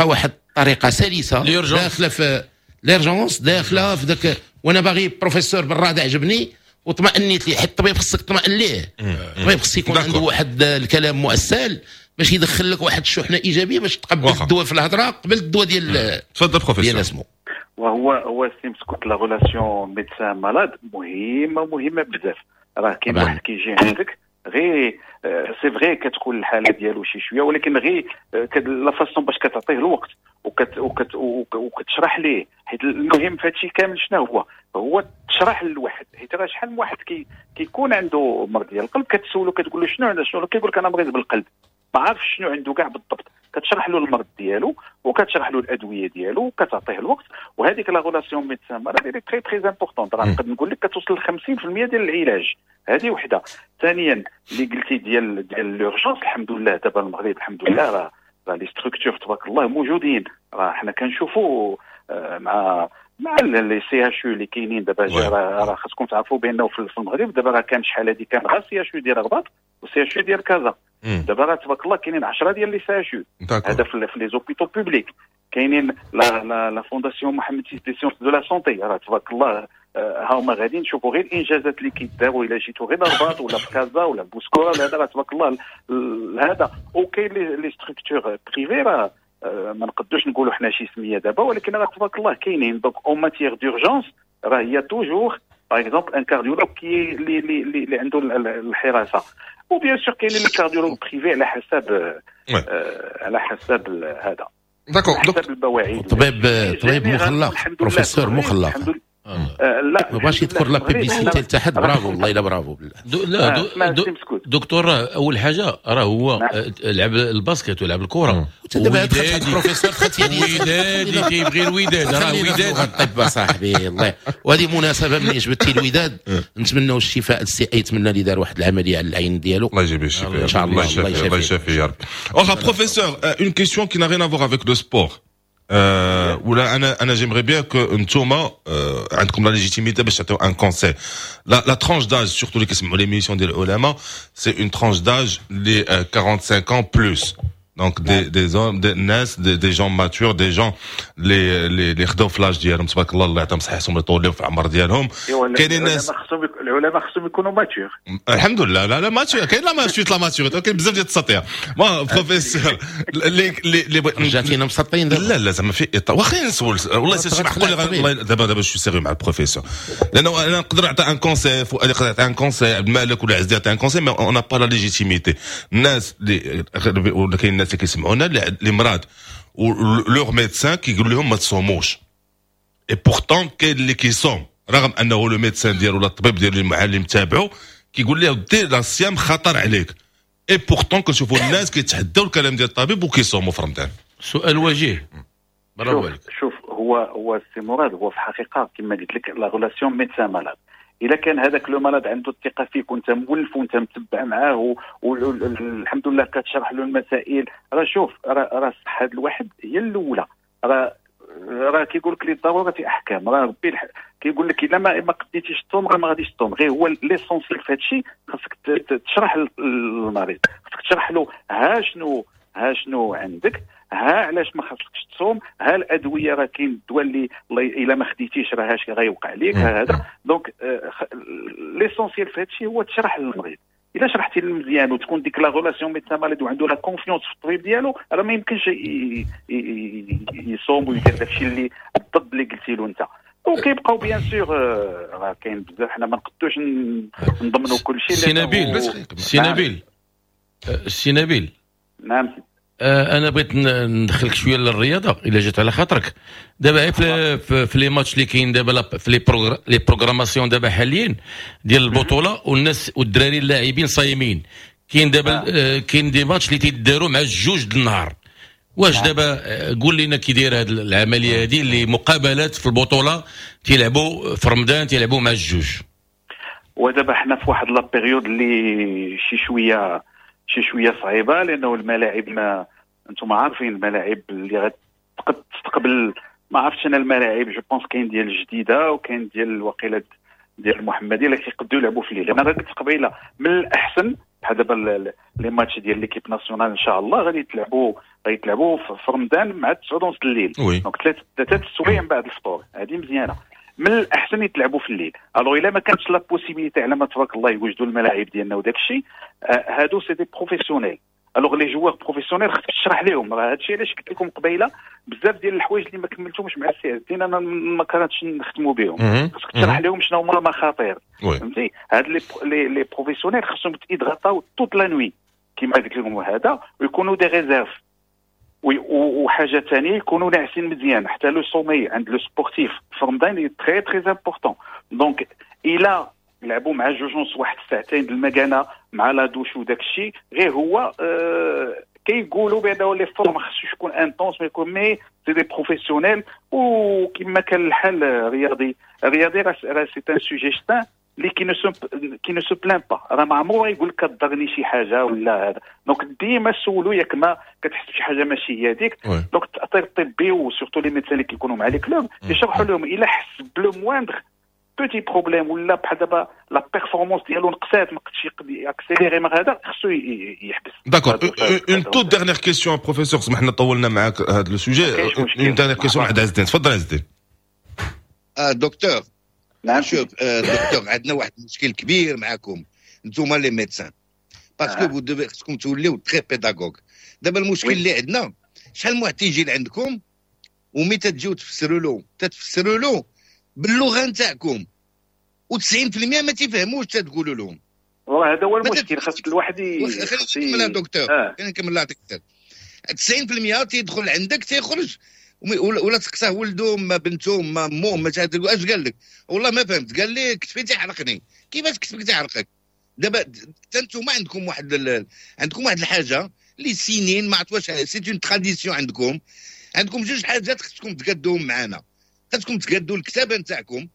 Speaker 5: واحد الطريقة سلسه داخله في l'urgence، داخله في ذاك، وانا باغي بروفيسور بالراد عجبني وطمأنيت ليه، حيت الطبيب خصك تطمئن ليه. الطبيب خص يكون عنده واحد الكلام مؤسل باش يدخل لك واحد الشحنة ايجابية باش تقبل الدواء في الهضرة قبل الدواء ديال.
Speaker 3: تفضل بروفيسور.
Speaker 5: ديال اسمه.
Speaker 7: وهو سي مسكوت la relation médecin malade مهمة مهمة بزاف. راه كاين واحد كيجي عندك غير c'est vrai كتكون الحالة ديالو شي شوية، ولكن غير la façon باش كتعطيه الوقت وكتشرح ليه، حيت المهم في هادشي كامل شنو هو؟ هو تشرح للواحد، حيت راه شحال من واحد كيكون عنده مرض ديال القلب كتسولو كتقول له شنو عنده شنو، كيقول لك انا مريض بالقلب، ما عارفش شنو عنده كاع بالضبط. كتشرح له المرض ديالو وكتشرح له الادوية ديالو وكتعطيه الوقت، وهذيك la relation médecin malade très très importante، راه نقدر نقول لك كتوصل ل 50% ديال العلاج. هذه وحده. ثانيا اللي قلتي ديال l'urgence، الحمد لله دابا المغرب الحمد لله راه les structures تبارك الله موجودين، راه حنا كنشوفوا مع les CHU اللي كاينين دابا. راه خاصكم تعرفوا بانه في المغرب دابا راه كان شحال هذه كان غير CHU ديال الرباط و CHU ديال كازا، دابا راه تبارك الله كاينين 10 ديال les CHU، هذا في les hôpitaux publics، كاينين la fondation محمد six des sciences de la santé، راه تبارك الله ها هما غاديين نشوفوا غير الانجازات اللي كيداروا الا جيتوا غير الرباط ولا في كازا ولا بوسكورة ولا هذا، راه تبارك الله هذا. وكاين les structures privées، راه ما نقدوش نقولوا حنا شي سميه دابا، ولكن راه تبارك الله كاينين. donc en matière d'urgence راه هي toujours par exemple un cardiologue qui اللي اللي عنده الحراسه، و bien sûr كاينين les cardiologues privés على حساب على حساب هذا.
Speaker 3: d'accord.
Speaker 7: حسب المواعيد.
Speaker 5: طبيب مخلق، بروفيسور مخلق.
Speaker 7: لا
Speaker 5: ما بغاش يذكر la publicité لتحت. برافو، والله الا برافو.
Speaker 6: لا دكتور، راه اول حاجة راه هو لعب ال basket ولعب الكره.
Speaker 5: دابا دخلت بروفيسور دخلت.
Speaker 6: ودادي، كيبغي الوداد، راه وداد.
Speaker 5: الطب صاحبي الله. وهذه مناسبه، ملي جبتي الوداد، نتمنوا الشفاء للسي ايتمنى اللي دار واحد العملية على العين ديالو.
Speaker 3: الله يجيب الشفاء.
Speaker 5: ان شاء الله.
Speaker 3: الله يشافي يا رب. واخا professeur، une question qui n'a rien à voir avec le sport، ولا انا j'aimerais bien que نتوما عندكم la légitimité باش تعطيو un conseil. la tranche d'âge surtout اللي كيسمعوا l'émission ديال العلماء، c'est une tranche d'âge les 45 ans plus، donc des hommes، des الناس، des gens matures، des gens اللي خداو في l'âge ديالهم، تبارك الله، الله يعطيهم صحتهم ويطول في العمر ديالهم.
Speaker 7: كاينين الناس، العلماء خصهم يكونوا matures.
Speaker 3: الحمد لله، لا لا mature، كاين la maturité، la maturité، كاين بزاف ديال التسطيه. moi professeur اللي
Speaker 5: رجعتينا مسطين.
Speaker 3: لا لا، زعما في اطار، واخا نسول، والله c'est معقول. دابا je suis sérieux مع البروفيسور، لانه انا نقدر نعطي un conseil، فؤاد يقدر يعطي un conseil، عبد المالك ولا عزيز يعطي un conseil، mais on n'a pas la légitimité. الناس اللي ولا كاين الناس اللي كيسمعونا اللي مرض و leur médecin كيقول لهم ما تصوموش، et pourtant كاين اللي كيصوم رغم انه le médecin ديالو ولا الطبيب ديالو المعلم تابعو كيقول له دير الصيام خطر عليك، et pourtant كنشوفوا الناس كيتحداو الكلام ديال الطبيب وكيصوموا في رمضان.
Speaker 6: سؤال وجيه، برافو عليك.
Speaker 7: شوف، هو السي مراد، هو في الحقيقة كما قلت لك la relation médecin malade، الا كان هذاك le malade عنده الثقة فيك وانت مولف وانت متبع معاه والحمد لله كتشرح له المسائل، راه شوف، راه الصحة الواحد هي الاولى. راه كيقول لك للضرورة احكام، راه ربي كيقول لك الا ما قديتيش تصوم راه ما غاديش تصوم. غير هو l'essentiel في هذا الشيء خاصك تشرح للمريض، خاصك تشرح له ها شنو عندك، ها علاش ما خاصكش تصوم، ها الادويه، راه كاين الدواء اللي الا ما خديتيش راه اش غيوقع لك هذا. donc l'essentiel في هذا الشيء هو تشرح للمريض. الا شرحتي له مزيان وتكون ديك la relation médecin malade وعنده la confiance في الطبيب ديالو، راه ما يمكنش يصوم ويدير داكشي اللي الضد اللي قلتي له انت. وكيبقاو bien sûr راه كاين بزاف، حنا ما نقدوش نضمنوا كل شيء.
Speaker 6: سي نبيل، سي نبيل، سي نبيل.
Speaker 7: نعم.
Speaker 6: انا بغيت ندخلك شوية للرياضة الا جات على خاطرك. دابا في les matchs اللي كاين دابا في les programmations دابا حاليا ديال البطوله، والناس والدراري اللاعبين صايمين، كاين دابا كاين des matchs اللي تيداروا مع الجوج د النهار. واش دابا قول لنا كي داير هذه العملية هذه اللي مقابلات في البطولة تيلعبوا في رمضان، تيلعبوا مع الجوج؟
Speaker 7: ودابا حنا في واحد la période اللي شي شويه صعيبه، لانه الملاعب، ما انتم عارفين الملاعب اللي غتقد تستقبل، ما عرفتش انا الملاعب، je pense كاين ديال الجديدة وكاين ديال الوقيله ديال المحمدية اللي كيقدروا يلعبوا في الليل. انا قلت قبيلة من الاحسن بحال دابا les matchs ديال l'équipe nationale ان شاء الله غادي يتلعبوا في رمضان مع 9 ونص الليل، donc 3 السوايع من بعد الفطور، هذه مزيانه. من الاحسن يتلعبوا في الليل. alors الا ما كانتش la possibilité، على ما تبارك الله يوجدوا الملاعب ديالنا وداك الشيء، هادو c'est des professionnels. alors les joueurs professionnels خصك تشرح لهم. راه هادشي علاش قلت لكم قبيلة بزاف ديال الحوايج اللي ما كملتهمش مع السي عز الدين، انا ما كرهتش نختموا بهم. خصك تشرح لهم شنو هما المخاطر، فهمتي؟ هاد les professionnels خصهم يتهيدراتاو toute la nuit كيما قلت لكم هذا، ويكونوا des réserves. وحاجه ثانية، يكونوا ناعسين مزيان. حتى le sommeil عند le sportif في رمضان très très important. donc الى لعبوا مع 2:30، واحد الساعتين المكانة مع la douche وداك الشيء، غير هو كيقولوا بان l'effort ما خصوش يكون intense، ما يكون، mais c'est des professionnels. وكما كان الحال، رياضي رياضي راه c'est un sujet sain اللي qui ne se plaint pas، راه ما عمرو يقول لك كضرني شي حاجة ولا هذا. donc ديما سولو ياك ما كتحس بشي حاجة ماشي هي هذيك. donc التاطير الطبي و surtout les médecins اللي كيكونوا مع les clubs يشرحوا لهم الا حس ب le moindre petit problème ولا بحال دابا la performance ديالو نقصات، ما قدش accélérer، ما هذا، خصو يحبس.
Speaker 3: d'accord، une toute dernière question professeur، سمحنا طولنا معاك هذا le sujet. une dernière question عند عز الدين، تفضل عز الدين.
Speaker 4: اه دكتور.
Speaker 7: نعم.
Speaker 4: شوف دكتور، عندنا واحد المشكل كبير معاكم انتوما les médecins، parce que vous devez، خصكم توليو très pédagogues. دابا المشكل اللي عندنا، شحال من واحد تيجي لعندكم ومي تجيو تفسروا له، تتفسروا له باللغة نتاعكم، و90% ما تيفهموش تقولوا لهم.
Speaker 7: والله هذا هو المشكل، خاص الواحد
Speaker 4: خليني نكمل دكتور، خليني نكمل نعطيك. 90% تيدخل عندك تيخرج، ولا تسقساه ولده ما بنته ما مو ما، اش قال لك؟ والله ما فهمت، قال لي كتفي تيحرقني. كيفاش كتفك تيحرقك؟ دابا حتى انتم عندكم واحد الحاجة اللي سنين ما عرفت واش c'est une tradition. عندكم جوج حاجات خصكم تقادوهم معانا، خصكم تقادوا الكتابة نتاعكم.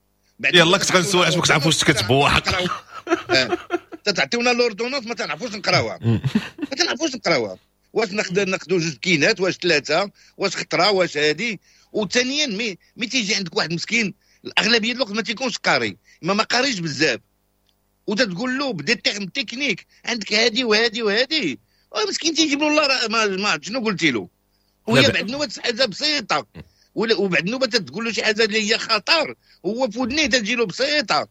Speaker 3: يلا كنت غنسول علاش ما كتعرفوش تكتبوا. حق.
Speaker 4: تعطيونا l'ordonnance ما تنعرفوش نقراوها، ما تنعرفوش نقراوها. واش نقدر ناخذوا جوج كينات، واش ثلاثه، واش خطره، واش هادي؟ وثانيا mais تيجي عندك واحد مسكين، الاغلبية الوقت ما تيكونش قاري، ما قاريش بزاف، وتتقول له ب des termes techniques عندك هادي وهادي وهادي، مسكين تيجيب له الله ما شنو قلتي له. وهي بعد نوبه حاجة بسيطه، وبعد نوبه تقول له شي حاجة اللي هي خطر، هو في ودنيه تجي له بسيطه.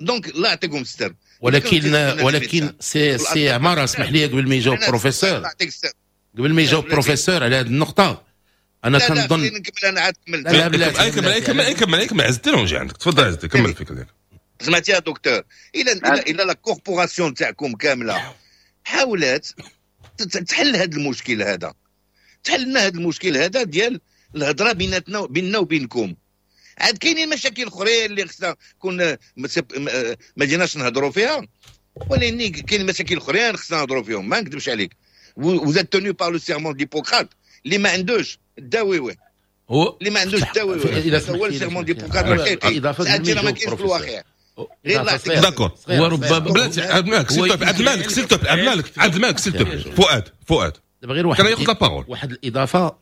Speaker 4: donc الله يعطيكم الستر.
Speaker 5: ولكن سي عمار، اسمح لي قبل ما يجاوب بروفيسور، قبل ما يجاوب بروفيسور على هذه النقطه، انا كنظن
Speaker 4: نكمل انا عاد كملت.
Speaker 3: لا لا، كمل كمل كمل كمل عز الدين ونجي عندك. تفضل عز الدين، كمل الفكرة ديالك.
Speaker 4: سمعتي يا دكتور؟ الى la corporation تاعكم كاملة حاولت تحل هذا المشكل هذا، تحل لنا هذا المشكل هذا ديال الهضرة بيناتنا، بيننا وبينكم. عاد كاينين مشاكل اخرين اللي خصنا كون ما جيناش نهضروا فيها، ولكن كاين مشاكل اخرين خصنا نهضروا فيهم. ما نكذبش عليك، vous êtes tenu par le serment d'Hippocrate، اللي ما عندوش داويوه.
Speaker 6: هو
Speaker 4: اللي ما عندوش داويوه، هو ال serment d'Hippocrate الحقيقي، ما كاينش في الواقع.
Speaker 3: d'accord.
Speaker 6: وربما
Speaker 3: بلاتي عبد المالك، s'il te plaît، عبد المالك s'il te plaît، عبد المالك، عبد المالك s'il te plaît، فؤاد فؤاد.
Speaker 5: دابا غير واحد
Speaker 3: كان ياخذ la parole.
Speaker 5: واحد الاضافه،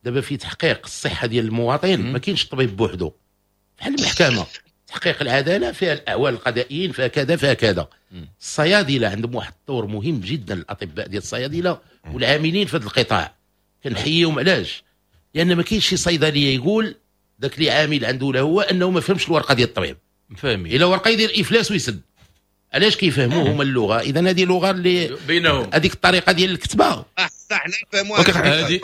Speaker 5: دابا في تحقيق الصحة ديال المواطن ما كاينش الطبيب بوحدو، بحال المحكمه، تحقيق العدالة فيها الاعوان القضائيين، فيها كذا فيها كذا. الصيادله عندهم واحد الدور مهم جدا، الاطباء ديال الصيادله والعاملين في هذا القطاع كنحييهم. علاش؟ لان ما كاينش شي صيدلية يقول ذاك اللي عامل عنده لا هو انه ما فهمش الورقة ديال الطبيب.
Speaker 6: فاهمين.
Speaker 5: الا ورقة يدير افلاس ويسد. علاش؟ كيفهموا هما اللغه. اذا هذه لغة اللي
Speaker 6: بينهم.
Speaker 5: هذيك الطريقة ديال الكتابه.
Speaker 4: صح، نفهموها.
Speaker 6: هذه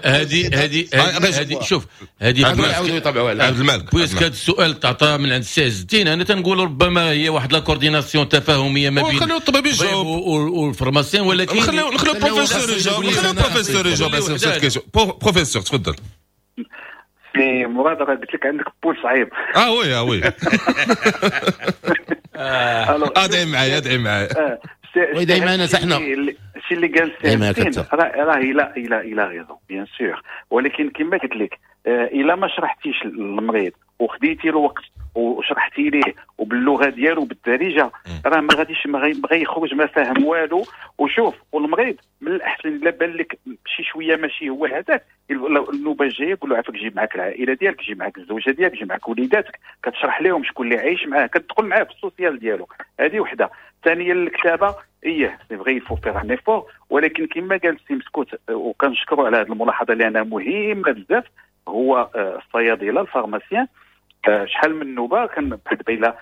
Speaker 6: هذه هذه هذه، شوف هذه
Speaker 5: يعاودوا يطبعوها.
Speaker 3: عبد المالك.
Speaker 6: puisque هذا السؤال تعطى من عند السي عز الدين، انا تنقول ربما هي واحد la coordination تفاهميه ما بين
Speaker 3: خليو الطبيب يجاوب
Speaker 6: وال pharmacien، ولكن
Speaker 3: نخليو البروفيسور يجاوب، نخليو البروفيسور يجاوب على cette question. professeur تفضل.
Speaker 7: سي مراد، راه قلت لك عندك بول صعيب.
Speaker 3: اه oui اه oui، ادعي معايا، ادعي معايا.
Speaker 5: oui معنا حنا.
Speaker 7: الشيء اللي قال سي راه il a raison bien sûr، ولكن كما قلت لك الا ما شرحتيش للمريض وخديتي الوقت وشرحتي ليه وباللغه ديالو بالدارجه، راه ما غاديش ما غيخرج ما فاهم والو. وشوف، والمريض من الاحسن الا بان لك شي شوية ماشي هو هذاك، النوبة الجاية قول له عافاك جيب معاك العائلة ديالك، جيب معاك الزوجة ديالك، جيب معاك وليداتك، كتشرح لهم شكون اللي عايش معاه، كتدخل معاه في ال social ديالو. هذه وحده. ثانيا الكتابه، ايه c'est vrai faut faire un effort، ولكن كما قال السي مسكوت وكنشكروا على هذه الملاحظة لانها مهمة بزاف، هو الصيادله ال pharmaciens شحال من نوبه كان بحال دابا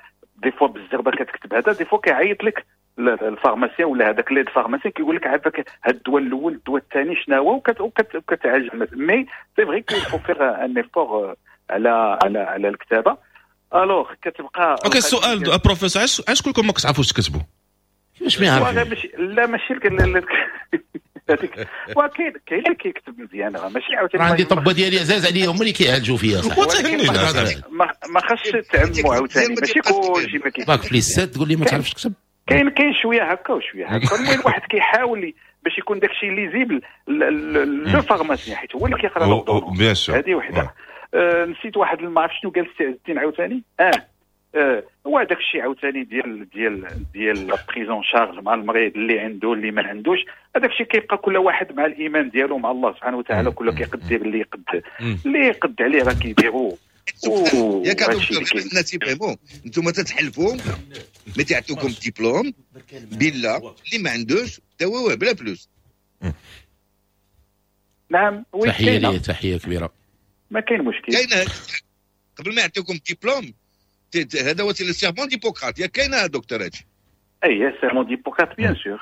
Speaker 7: des fois بالزربه كتكتب هذا، des fois كيعيط لك. ال pharmacien ولا هذاك l'aide pharmacien كيقول لك عافاك هاد الدواء الاول الدواء الثاني شنو هو، وكتعالج. mais c'est vrai qu'il faut faire un effort على على على الكتابه. alors كتبقى
Speaker 3: OK. السؤال بروفيسور، علاش كلكم ما كتعرفوش تكتبوا؟
Speaker 5: كيفاش ما يعرفوش؟
Speaker 7: لا ماشي هذيك، وكاين كاين اللي كيكتب مزيان، ماشي عاوتاني.
Speaker 5: عندي طبه ديالي عزاز عليا هما اللي كيعالجوا فيا صح.
Speaker 7: ما خاصش تعموا عاوتاني، ماشي كلشي ما كيكتب.
Speaker 5: bac plus 7 تقول لي ما تعرفش تكتب.
Speaker 7: كاين شوية هكا وشوية هكا. المهم الواحد كيحاول باش يكون داكشي lisible le pharmacien، حيت هو اللي كيقرا. هذه وحده. نسيت واحد ما عرفت شنو قال السي عز الدين عاوتاني. هو هذاك الشيء عاوتاني ديال ديال ديال la prise en charge مع المريض اللي عنده اللي ما عندوش، هذاك الشيء كيبقى كل واحد مع الايمان ديالو مع الله سبحانه وتعالى، كل كيقدر اللي يقد اللي يقد عليه راه كيديرو.
Speaker 4: ياك دكتور الناس يفهموا، انتم تتحلفوا mais تعطوكم ديبلوم بلا اللي ما عندوش داووه بلا فلوس.
Speaker 7: نعم oui،
Speaker 5: تحية ليه، تحية كبيرة.
Speaker 7: ما كاين مشكل.
Speaker 4: كاين قبل ما يعطيوكم ديبلوم، هذا هو le serment d'Hippocrate، ياك كاين دكتور هادشي؟
Speaker 7: اي serment d'Hippocrate bien sûr.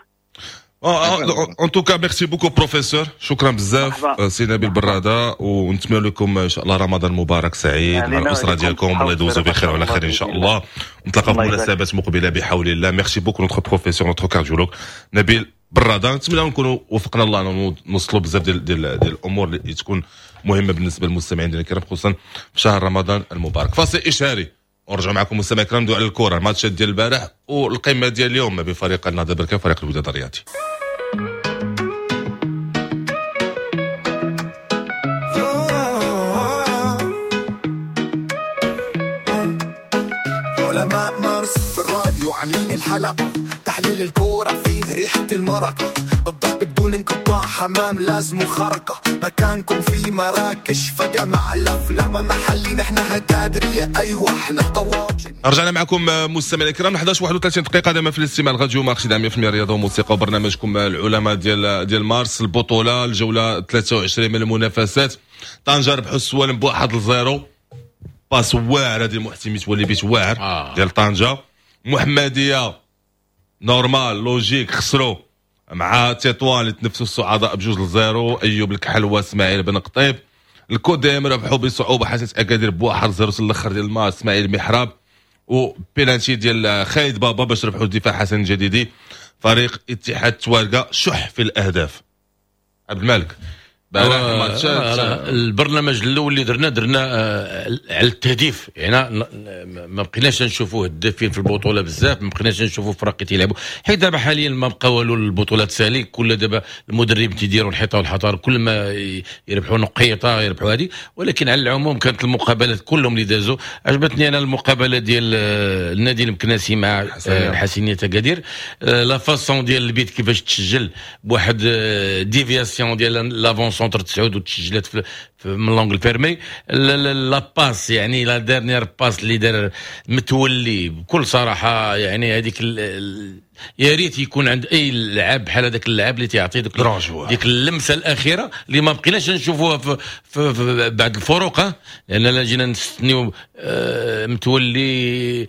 Speaker 3: en tout cas merci beaucoup professeur، شكرا بزاف سي نبيل براده، ونتمنى لكم ان شاء الله رمضان مبارك سعيد مع الاسرة ديالكم، الله يدوزوا بخير وعلى خير ان شاء الله، نتلاقاو في مناسبات مقبله بحول الله. merci beaucoup notre professeur notre cardiologue نبيل براده. نتمنى نكونوا وفقنا الله نوصلوا بزاف ديال الامور اللي تكون مهمة بالنسبة للمستمعين ديالنا الكرام، خصوصا في شهر رمضان المبارك. فاصل اشهاري ونرجعوا معكم مستمعي الكرام ندوي على الكره، الماتشات ديال البارح والقمه ديال اليوم ما بين فريق النهضة بركان وفريق الوداد الرياضي.
Speaker 2: علماء مارس في الراديو عاملين الحلقة، تحليل الكورة فيه ريحة المرق، الضرب بدون انقطاع، حمام لازم خرقة، مكانكم في مراكش فجأة مع الأفلام محلي، نحن هتادرية أيوة احنا طواجن.
Speaker 3: رجعنا معكم مستمعينا الكرام 11:31 دقيقة دائما في الاستماع الراديو مارس 100% رياضة وموسيقى وبرنامجكم العلماء ديال مارس. البطولة الجولة 23 من المنافسات، طنجة ربحوا السوالم ب1-0، passe واعرة ديال محسن متولي بيت واعر ديال طنجة. محمدية normal logique خسروا مع تطوان اللي تنفسوا الصعداء ب2-0، ايوب الكحل واسماعيل بن قطيب. الكوديم ربحوا بصعوبة حسنيه اكادير ب1-0 في الاخر ديال الماتش، اسماعيل محراب وبيلانتي ديال خالد بابا باش ربحوا الدفاع حسن الجديدي. فريق اتحاد توارقه شح في الاهداف. عبد الملك
Speaker 6: البرنامج الاول اللي درنا على التهديف، يعني ما بقيناش نشوفوا هدافين في البطولة بزاف، ما بقيناش نشوفوا فرق تيلعبوا، حيت دابا حاليا ما بقى والو، البطولات سالي، كل دابا المدرب تيديروا الحيطة والحطار، كل ما يربحوا نقيطه يربحوا هذه. ولكن على العموم كانت المقابلات كلهم اللي دازوا عجبتني انا المقابلة ديال النادي المكناسي مع الحسينية اكادير، la façon ديال البيت كيفاش تسجل بواحد déviation ديال l'avant-centre 9 وتسجلت في من l'angle fermé، la passe يعني la dernière passe اللي دار متولي بكل صراحة، يعني هذيك يا ريت يكون عند اي لاعب بحال هذاك اللاعب اللي تيعطي ديك اللمسة الاخيرة اللي ما بقيناش نشوفوها في بعض الفروق، لان لا جينا نستنيو متولي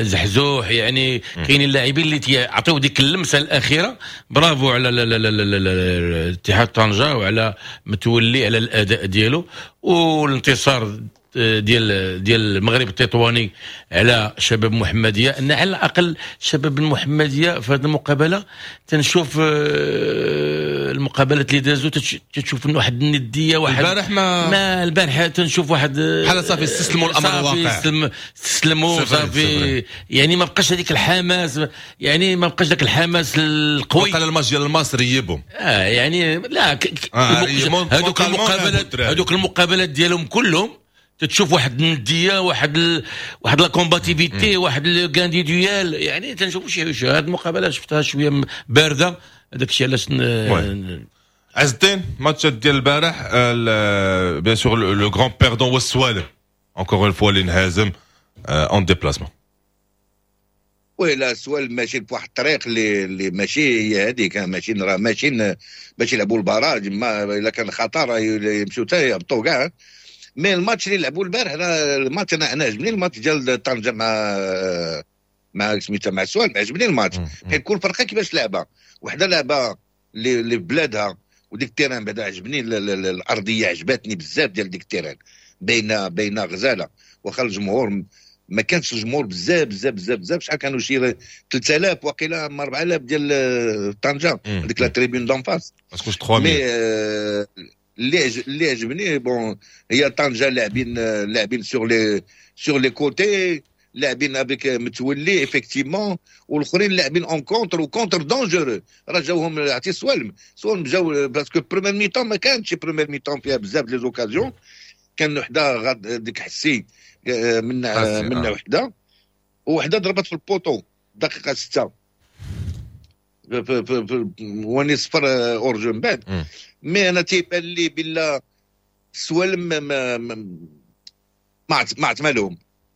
Speaker 6: زحزوح، يعني كاينين اللاعبين اللي تيعطيو ديك اللمسة الاخيرة. برافو على اتحاد طنجه وعلى متولي على الاداء ديالو، والانتصار ديال المغرب التطواني على شباب محمديه. ان على الاقل شباب المحمدية في هذه المقابلة تنشوف المقابلات اللي دازوا تشوف واحد الندية، واحد
Speaker 3: البارح ما
Speaker 6: البارح تنشوف واحد
Speaker 3: بحال صافي استسلموا الامر الواقع،
Speaker 6: استسلموا صافي، يعني ما بقاش هذيك الحماس، يعني ما بقاش ذاك الحماس القوي.
Speaker 3: وقال الماتش ديال المصري ريبهم
Speaker 6: يعني لا هذوك المقابلات ديالهم كلهم تتشوف واحد الندية، واحد la combativité، واحد le gain des duels، يعني تنشوفوا شي هاد المقابلة شفتها شوية باردة، هذاك الشيء علاش.
Speaker 3: عز الدين ماتش ديال البارح bien sûr le grand perdant هو السوالم encore une fois اللي انهزم en déplacement.
Speaker 4: oui لا السوالم ماشي بواحد الطريق اللي ماشي هي هذيك، ماشي راه ماشي باش يلعبوا ال barrage، ما الا كان خطر يمشيو حتى يهبطوا كاع. mais الماتش اللي لعبوا البارح الماتش انا عجبني الماتش ديال طنجه مع مع سميتها مع السوالم، عجبني الماتش حيت كل فرقه كيفاش لعبه، وحده لعبه اللي في بلادها، وديك ال terrain بعدا عجبني، الارضية عجبتني بزاف ديال ديك ال terrain، باينة غزاله. واخا الجمهور ما كانش الجمهور بزاف بزاف بزاف بزاف، شحال كانوا شي 3000 وقيله 4000 ديال طنجه، هذيك la tribune d'en face
Speaker 3: ما تكونش 3000.
Speaker 4: اللي عجبني bon هي طنجه لاعبين sur les côtés، لاعبين avec متولي effectivement، والاخرين لاعبين en contre و contre dangereux. راه جاوهم عرفتي سوالم جاو parce que première mi-temps ما كانتش première mi-temps فيها بزاف les occasions، كان وحده ديك حسي من وحده، وحده ضربت في ال poteau دقيقة 6 واني صفر hors-jeu من بعد. mais انا تيبان لي بلا السوالم ما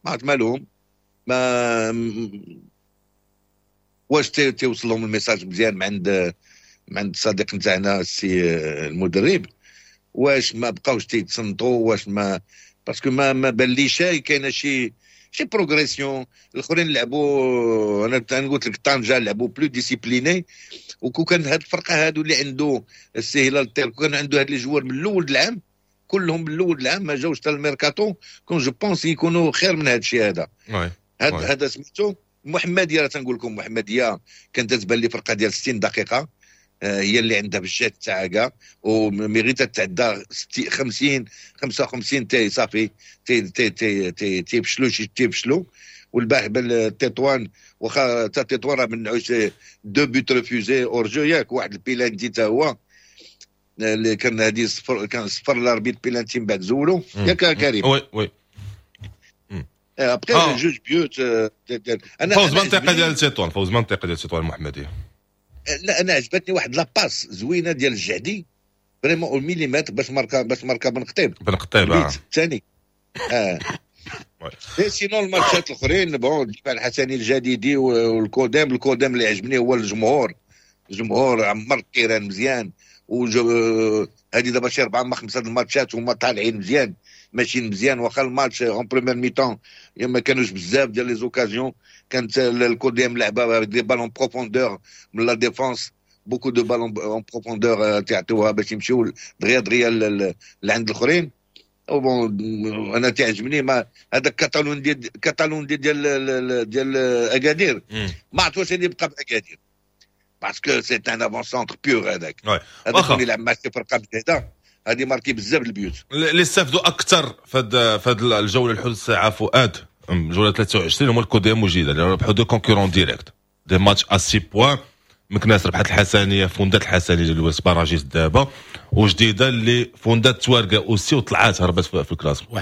Speaker 4: عتمالهم ما واش تيوصل لهم ال message مزيان من عند الصديق نتاعنا السي المدرب، واش ما بقاوش تيتصنتوا، واش ما parce que ما بان لي شي كاينه شي progression. الاخرين لعبوا، انا قلت لك طنجه لعبوا plus disciplinés، وكون كان هاد الفرقة هادو اللي عنده السي هلال الطير كان عنده هاد les joueurs من الاول العام كلهم من الاول العام ما جاوش حتى الميركاتو، كون je pense يكونوا خير من هاد الشيء هذا. هذا سميتو محمديه، راه تنقول لكم محمديه كانت تبان لي فرقه ديال 60 دقيقة هي اللي عندها بالجات تاعها كاع، و mais غير تتعدى 50 55 تي صافي تي تي تي تي تيفشلوا شي تيفشلوا. والبارح بالتطوان واخا حتى تطوان راه منعوش deux buts refusés hors-jeu ياك، واحد البيلانتي تا هو اللي كان هادي صفر، كان صفر l'arbitre pénalty من بعد زولو ياك كريم.
Speaker 3: oui oui
Speaker 4: après جوج buts.
Speaker 3: انا فوز منطقة ديال تطوان، فوز منطقة ديال تطوان المحمدية.
Speaker 4: لا انا عجبتني واحد la passe زوينة ديال الجعدي vraiment au millimètre باش ماركا بن قطيب الثاني. sinon الماتشات الاخرين bon الدفاع الحسني الجديدي والكودام، الكودام اللي عجبني هو الجمهور، الجمهور عمر ال terrain مزيان، هذه دابا شي 4 ما 5 الماتشات هما طالعين مزيان ماشيين مزيان. واخا الماتش en première mi-temps ما كانوش بزاف ديال les occasions، كانت الكوديم لعبه des ballons profondeur من la défense، beaucoup de ballons en profondeur تعطيوها باش يمشيو دغيا دغيا لعند الاخرين. bon انا تعجبني ما هذاك كاتالون دي ديال اكادير، ما عرفت واش يبقى باكادير parce que c'est un avant-centre pur. هذاك هذاك اللي يلعب مع شي فرقه بجهده هذه marquer بزاف البيوت.
Speaker 3: اللي استافدوا اكثر في هذه الجولة الحدود الساعة فؤاد، جولة 23 هما الكوديم وجديدة اللي ربحوا deux concurrents directs des matchs à 6 points. مكناس ربحت الحسنيه، فوندات الحسنيه اللي ولات barragiste دابا، وجديدة اللي فوندات توارقه aussi وطلعات هربت في ال classement.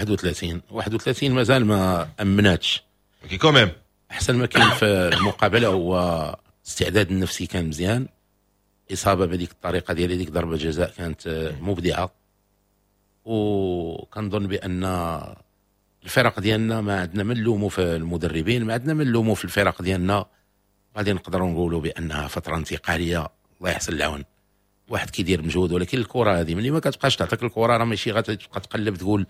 Speaker 5: 31 مازال ما امناتش
Speaker 3: كي quand même.
Speaker 5: احسن ما كاين في المقابلة هو الاستعداد النفسي كان مزيان، اصابه بهذيك الطريقة ديال هذيك ضربه جزاء كانت مبدعة، وكنظن بان الفرق ديالنا ما عندنا ما نلوموا في المدربين، ما عندنا ما نلوموا في الفرق ديالنا. غادي نقدروا نقولوا بانها فترة انتقالية، الله يحسن العون، واحد كيدير مجهود، ولكن الكره هذه ملي ما كتبقاش تعطيك الكره راه ماشي غتبقى تقلب تقول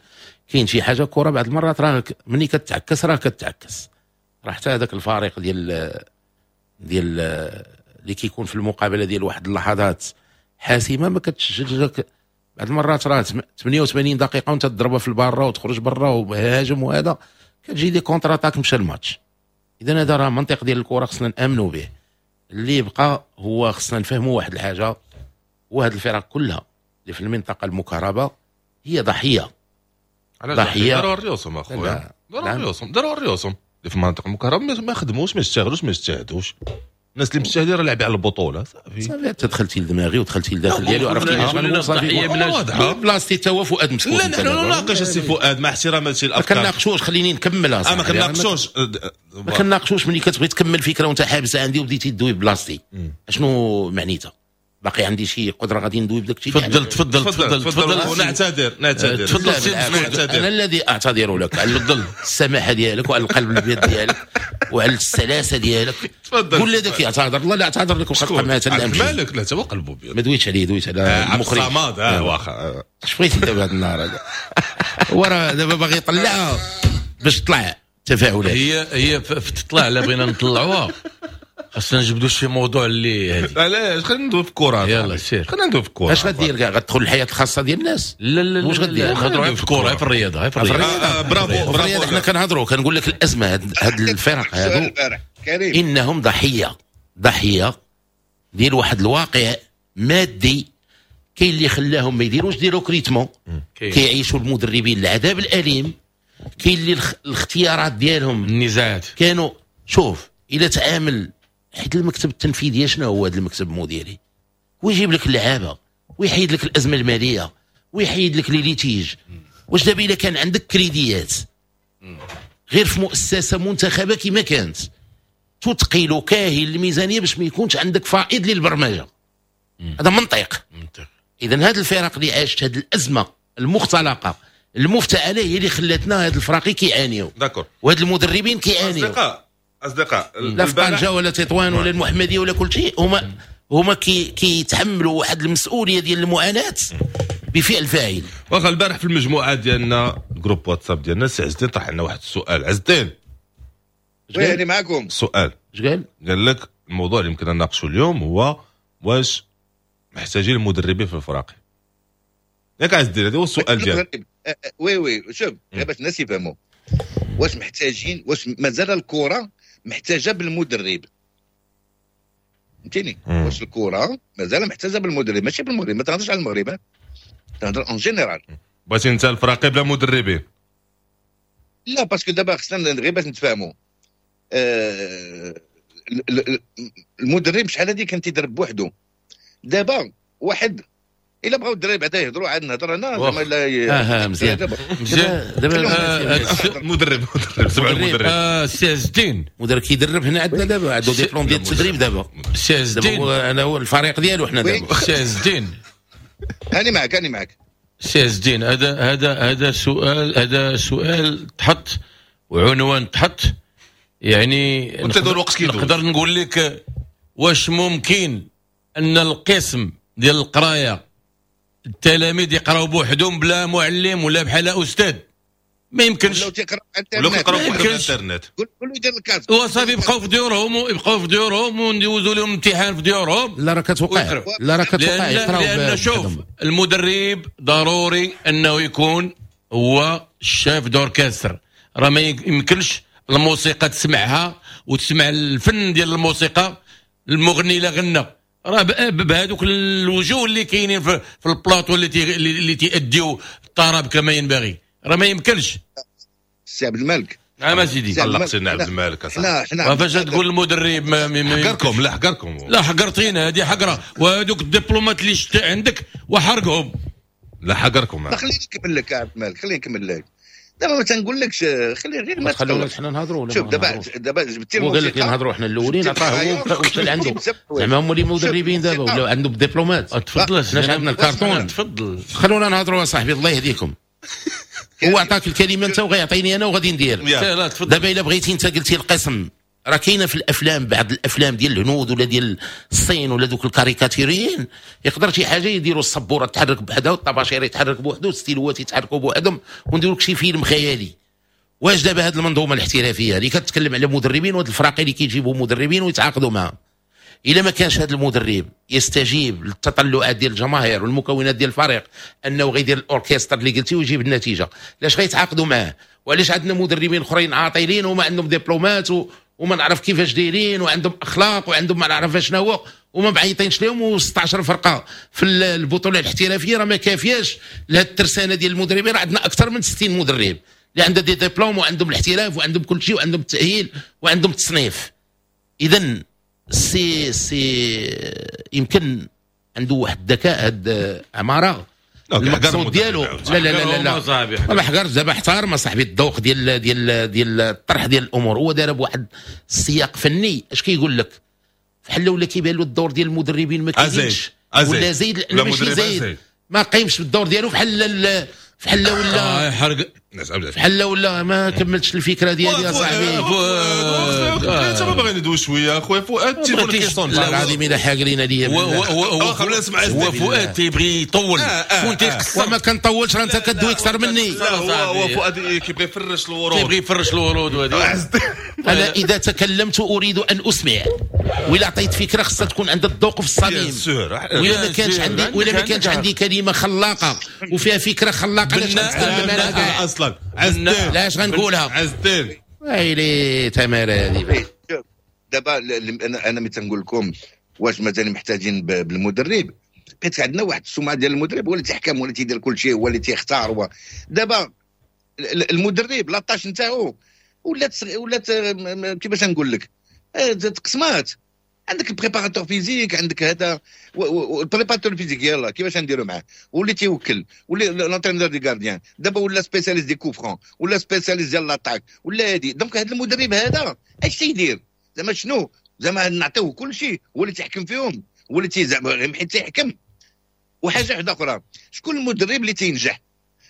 Speaker 5: كاين شي حاجة. الكره بعض المرات راه ملي كتعكس راه كتعكس، راه حتى هذاك الفريق ديال اللي كيكون في المقابلة ديال واحد اللحظات حاسمة ما كتسجلش بعض المرات راه 88 دقيقة وانت تضربها في الباره وتخرج برا وهاجم، وهذا كتجي des contre-attaques مشى الماتش. اذا هذا راه منطق ديال الكره خصنا نامنوا به. اللي يبقى هو خصنا نفهموا واحد الحاجة، وهاد الفرق كلها اللي في المنطقة المكهربه هي ضحية.
Speaker 3: ضحية داروا ريوسهم اخويا، داروا ريوسهم اللي في المنطقة المكهربه، ما خدموش ما اشتغلوش ما اجتهدوش. الناس اللي مجتهدين راه لاعبين على البطولة صافي.
Speaker 5: صافي انت دخلتي لدماغي ودخلتي لداخل ديالي وعرفتي شنو صافي بلاصتي تا هو فؤاد مسكوت.
Speaker 3: لا نحن نناقش السي فؤاد مع احتراماتي الافكار،
Speaker 5: ما كنناقشوش، خليني نكملها.
Speaker 3: ما كنناقشوش
Speaker 5: ما كنناقشوش ملي كتبغي تكمل فكرة وانت حابسه عندي وبديتي تدوي بلاصتي، اشنو معنيتها؟ باقي عندي شي قدره غادي ندوي بداك الشيء.
Speaker 6: تفضل تفضل تفضل
Speaker 3: تفضل. نعتذر نعتذر.
Speaker 5: تفضل. انا الذي اعتذر لك على السماحة ديالك وعلى القلب الابيض ديالك وعلى السلاسة ديالك.
Speaker 3: تفضل.
Speaker 5: كل هذاك يعتذر الله لا اعتذر لك وخا تبقى معاه حتى
Speaker 3: الامشي. مالك لا هو قلبه ابيض.
Speaker 5: ما دويتش عليه، دويت على المخرج
Speaker 3: الصماد. واخا
Speaker 5: اش بغيتي دابا هذا النهار هذا؟ هو راه دابا باغي يطلعها باش تطلع. التفاعلات.
Speaker 6: هي في التطلع اللي بغينا نطلعوها خاصنا نجبدوا شي موضوع اللي هادي.
Speaker 3: علاش؟ خلينا ندوي في الكره.
Speaker 6: يلا سير،
Speaker 3: خلينا ندوي في الكره.
Speaker 5: اش غدير كاع؟ غتدخل الحياة الخاصة ديال الناس؟
Speaker 6: لا لا،
Speaker 5: واش غدير؟
Speaker 6: نهضروا في الكره، في الرياضة، في
Speaker 5: الرياضة.
Speaker 3: bravo
Speaker 5: bravo. حنا كنهضروا كنقول لك الازمة هاد الفرق هادو انهم ضحية ديال واحد الواقع مادي. كاين اللي خلاهم ما يديروش des recrutements، كيعيشوا المدربين العذاب الاليم. كاين اللي الاختيارات ديالهم
Speaker 6: النزاعات
Speaker 5: كانوا. شوف الى تعامل حيت المكتب التنفيذي شنو هو هذا المكتب المديري؟ ويجيب لك اللعابه ويحيد لك الازمة المالية ويحيد لك les litiges. واش دابا الا كان عندك كريديات غير في مؤسسة منتخبه كما كانت تثقل كاهل الميزانية باش ما يكونش عندك فائض للبرمجه، هذا منطق. اذا هذه الفرق اللي عاشت هذه الازمة المختلقه المفتعله هي اللي خلاتنا هاد الفراقي كيعانيو،
Speaker 3: d'accord،
Speaker 5: وهاد المدربين كيعانيو.
Speaker 3: اصدقاء
Speaker 5: لا في طنجه ولا تطوان ولا المحمدية ولا كل شيء، هما كيتحملوا واحد المسؤولية ديال المعاناة بفعل فاعل.
Speaker 3: واخا البارح في المجموعة ديالنا groupe واتساب ديالنا سي عز الدين طرح لنا واحد السؤال. عز الدين
Speaker 4: oui انا معكم.
Speaker 3: السؤال
Speaker 5: اش قال؟
Speaker 3: قال لك الموضوع اللي يمكن نناقشوا اليوم هو واش محتاجين المدربين في الفراقي. ياك عز الدين هذا هو السؤال ديالك.
Speaker 4: oui oui شوف غير باش الناس يفهموا واش محتاجين، واش مازال الكره محتاجه بالمدرب، فهمتيني؟ واش الكره مازال محتاجه بالمدرب؟ ماشي بالمغرب، ما تهضرش على المغرب، تهضر en général.
Speaker 3: بغيتي انت الفراقي بلا مدربين؟
Speaker 4: لا parce que دابا خصنا غير باش نتفاهموا. المدرب شحال هادي كان تيدرب بوحدو، دابا واحد الا بغاو الدراري بعدا يهضروا عاد نهضر انا زعما.
Speaker 5: لا مزيان
Speaker 6: مزيان.
Speaker 5: دابا
Speaker 3: مدرب سمع المدرب
Speaker 6: سي عز الدين
Speaker 5: مدرب كيدرب هنا عندنا دابا، عنده ديبلوم ديال التدريب دابا
Speaker 6: سي عز الدين.
Speaker 5: انا هو الفريق ديالو حنا دابا.
Speaker 6: سي عز الدين
Speaker 4: هاني معك، هاني معك
Speaker 6: سي عز الدين. هذا سؤال، هذا سؤال تحط وعنوان تحط، يعني نقدر نقول لك واش ممكن ان القسم ديال القراية التلاميذ يقراو بوحدهم بلا معلم ولا بحال استاذ؟ ما يمكنش.
Speaker 4: ولاو
Speaker 3: تيقراو بوحدهم الانترنت،
Speaker 4: قول يدير ال casque
Speaker 6: وصافي يبقاو في ديورهم، يبقاو في ديورهم وندوزوا لهم امتحان في ديورهم.
Speaker 5: لا راه كتوقع، لا راه كتوقع يقراو.
Speaker 6: لان شوف المدرب ضروري انه يكون هو ال chef d'orchestre، راه ما يمكنش الموسيقى تسمعها وتسمع الفن ديال الموسيقى، المغني لا غنى راه بهذوك الوجوه اللي كاينين في البلاطو اللي تيأديو الطرب كما ينبغي، راه ما يمكنش.
Speaker 4: سي عبد الملك.
Speaker 6: نعم سيدي.
Speaker 3: طلق سيدنا عبد الملك.
Speaker 4: حنا
Speaker 6: فاش تقول المدرب ما
Speaker 3: حقركم؟ لا حقركم،
Speaker 6: لا حقرتينا، هذه حقره. وهذوك الدبلومات اللي شتا عندك وحرقهم.
Speaker 3: لا حقركم.
Speaker 4: لا خليني نكمل لك عبد الملك، خليني نكمل لك. دابا ما تنقولكش خلي غير ما
Speaker 5: تخلوناش حنا نهضروا. ولا
Speaker 4: شوف دابا جبتي
Speaker 5: الموسيقى، قال لك نهضروا حنا الاولين، عطاه هو ومشى لعندو زعما هما اللي مدربين دابا ولاو عندهم دبلومات.
Speaker 6: تفضل
Speaker 5: حنا عندنا الكارتون.
Speaker 6: تفضل
Speaker 5: خلونا نهضروا يا صاحبي الله يهديكم. هو عطاك الكلمة انت وغيعطيني انا وغادي ندير. دابا الا بغيتي انت قلتي القسم، راه كاينه في الافلام، بعض الافلام ديال الهنود ولا ديال الصين ولا دوك الكاريكاتيريين، يقدر شي حاجة يديروا السبوره تحرك بوحدها والطباشير يتحرك بوحده والستيلوات يتحركوا بوحدهم ونديروا لك شي فيلم خيالي. واش دابا هذه المنظومة الاحترافية اللي كتكلم على مدربين وهاد الفراقي اللي كيجيبوا مدربين ويتعاقدوا معاهم، الا ما كانش هذا المدرب يستجيب للتطلعات ديال الجماهير والمكونات ديال الفريق انه غيدير الاوركسترا اللي قلتي ويجيب النتيجة، علاش غيتعاقدوا معاه؟ وعلاش عندنا مدربين اخرين عاطلين وما عندهم دبلومات وما نعرف كيفاش دايرين وعندهم اخلاق وعندهم ما نعرف شنو هو وما معيطينش لهم، و16 فرقه في البطولة الاحترافية راه ما كافياش لهاد الترسانه ديال المدربين. راه عندنا اكثر من 60 مدرب اللي عندها des diplômes وعندهم الاحتراف وعندهم كل شيء وعندهم التاهيل وعندهم التصنيف. اذا سي يمكن عنده واحد الذكاء هاد عمارة المقصود ديالو. لا لا لا لا ما حقرش دابا، احترم صاحبي الذوق ديال ديال ديال الطرح ديال الامور. هو دار بواحد السياق فني. اش كيقول لك؟ بحال ولا كيبان له الدور ديال المدربين ما كاينش ولا زايد، لا ماشي زايد، ما قايمش بالدور ديالو بحال بحال ولا
Speaker 6: حرق.
Speaker 5: بحال ولا ما كملتش الفكرة ديالي يا صاحبي.
Speaker 3: انت ما باغي ندوي شوية اخويا فؤاد، التليفون كيصون.
Speaker 5: والله العظيم الا حاقرين عليا.
Speaker 6: هو فؤاد تيبغي يطول وانت
Speaker 5: تيقصر. ما كنطولش، راه انت كدوي اكثر مني.
Speaker 3: هو فؤاد كيبغي يفرش الورود،
Speaker 6: تيبغي يفرش الورود. وهذه
Speaker 5: انا اذا تكلمت اريد ان اسمع، وإلا عطيت فكرة خصها تكون عند الذوق في الصميم. وإلا ما كانش عندي، وإلا ما كانش عندي كلمة خلاقه وفيها فكرة خلاقه، علاش غنتكلم انا
Speaker 3: اصلا؟ عز الدين
Speaker 5: علاش غنقولها؟
Speaker 3: عز الدين
Speaker 5: ويلي تمارة هذه.
Speaker 4: دابا انا ملي تنقول لكم واش مثلا محتاجين بالمدرب، حيت عندنا واحد السمعة ديال المدرب هو اللي تيحكم، هو اللي تيدير كل شيء، هو اللي تيختار. هو دابا المدرب la tâche نتاعو ولات كيفاش نقول لك، تقسمات. عندك ال préparateur physique، عندك هذا ال préparateur physique يلاه كيفاش نديرو معاه، واللي تيوكل، واللي l'entraîneur des gardiens، دابا ولا spécialiste des coups francs، ولا spécialiste ديال l'attaque، ولا هادي. donc هذا المدرب هذا اش تيدير زعما؟ شنو زعما نعطيوه كل شيء، هو اللي تيحكم فيهم، هو اللي زعما حيت تيحكم. وحاجه واحدة اخرى، شكون المدرب اللي تينجح؟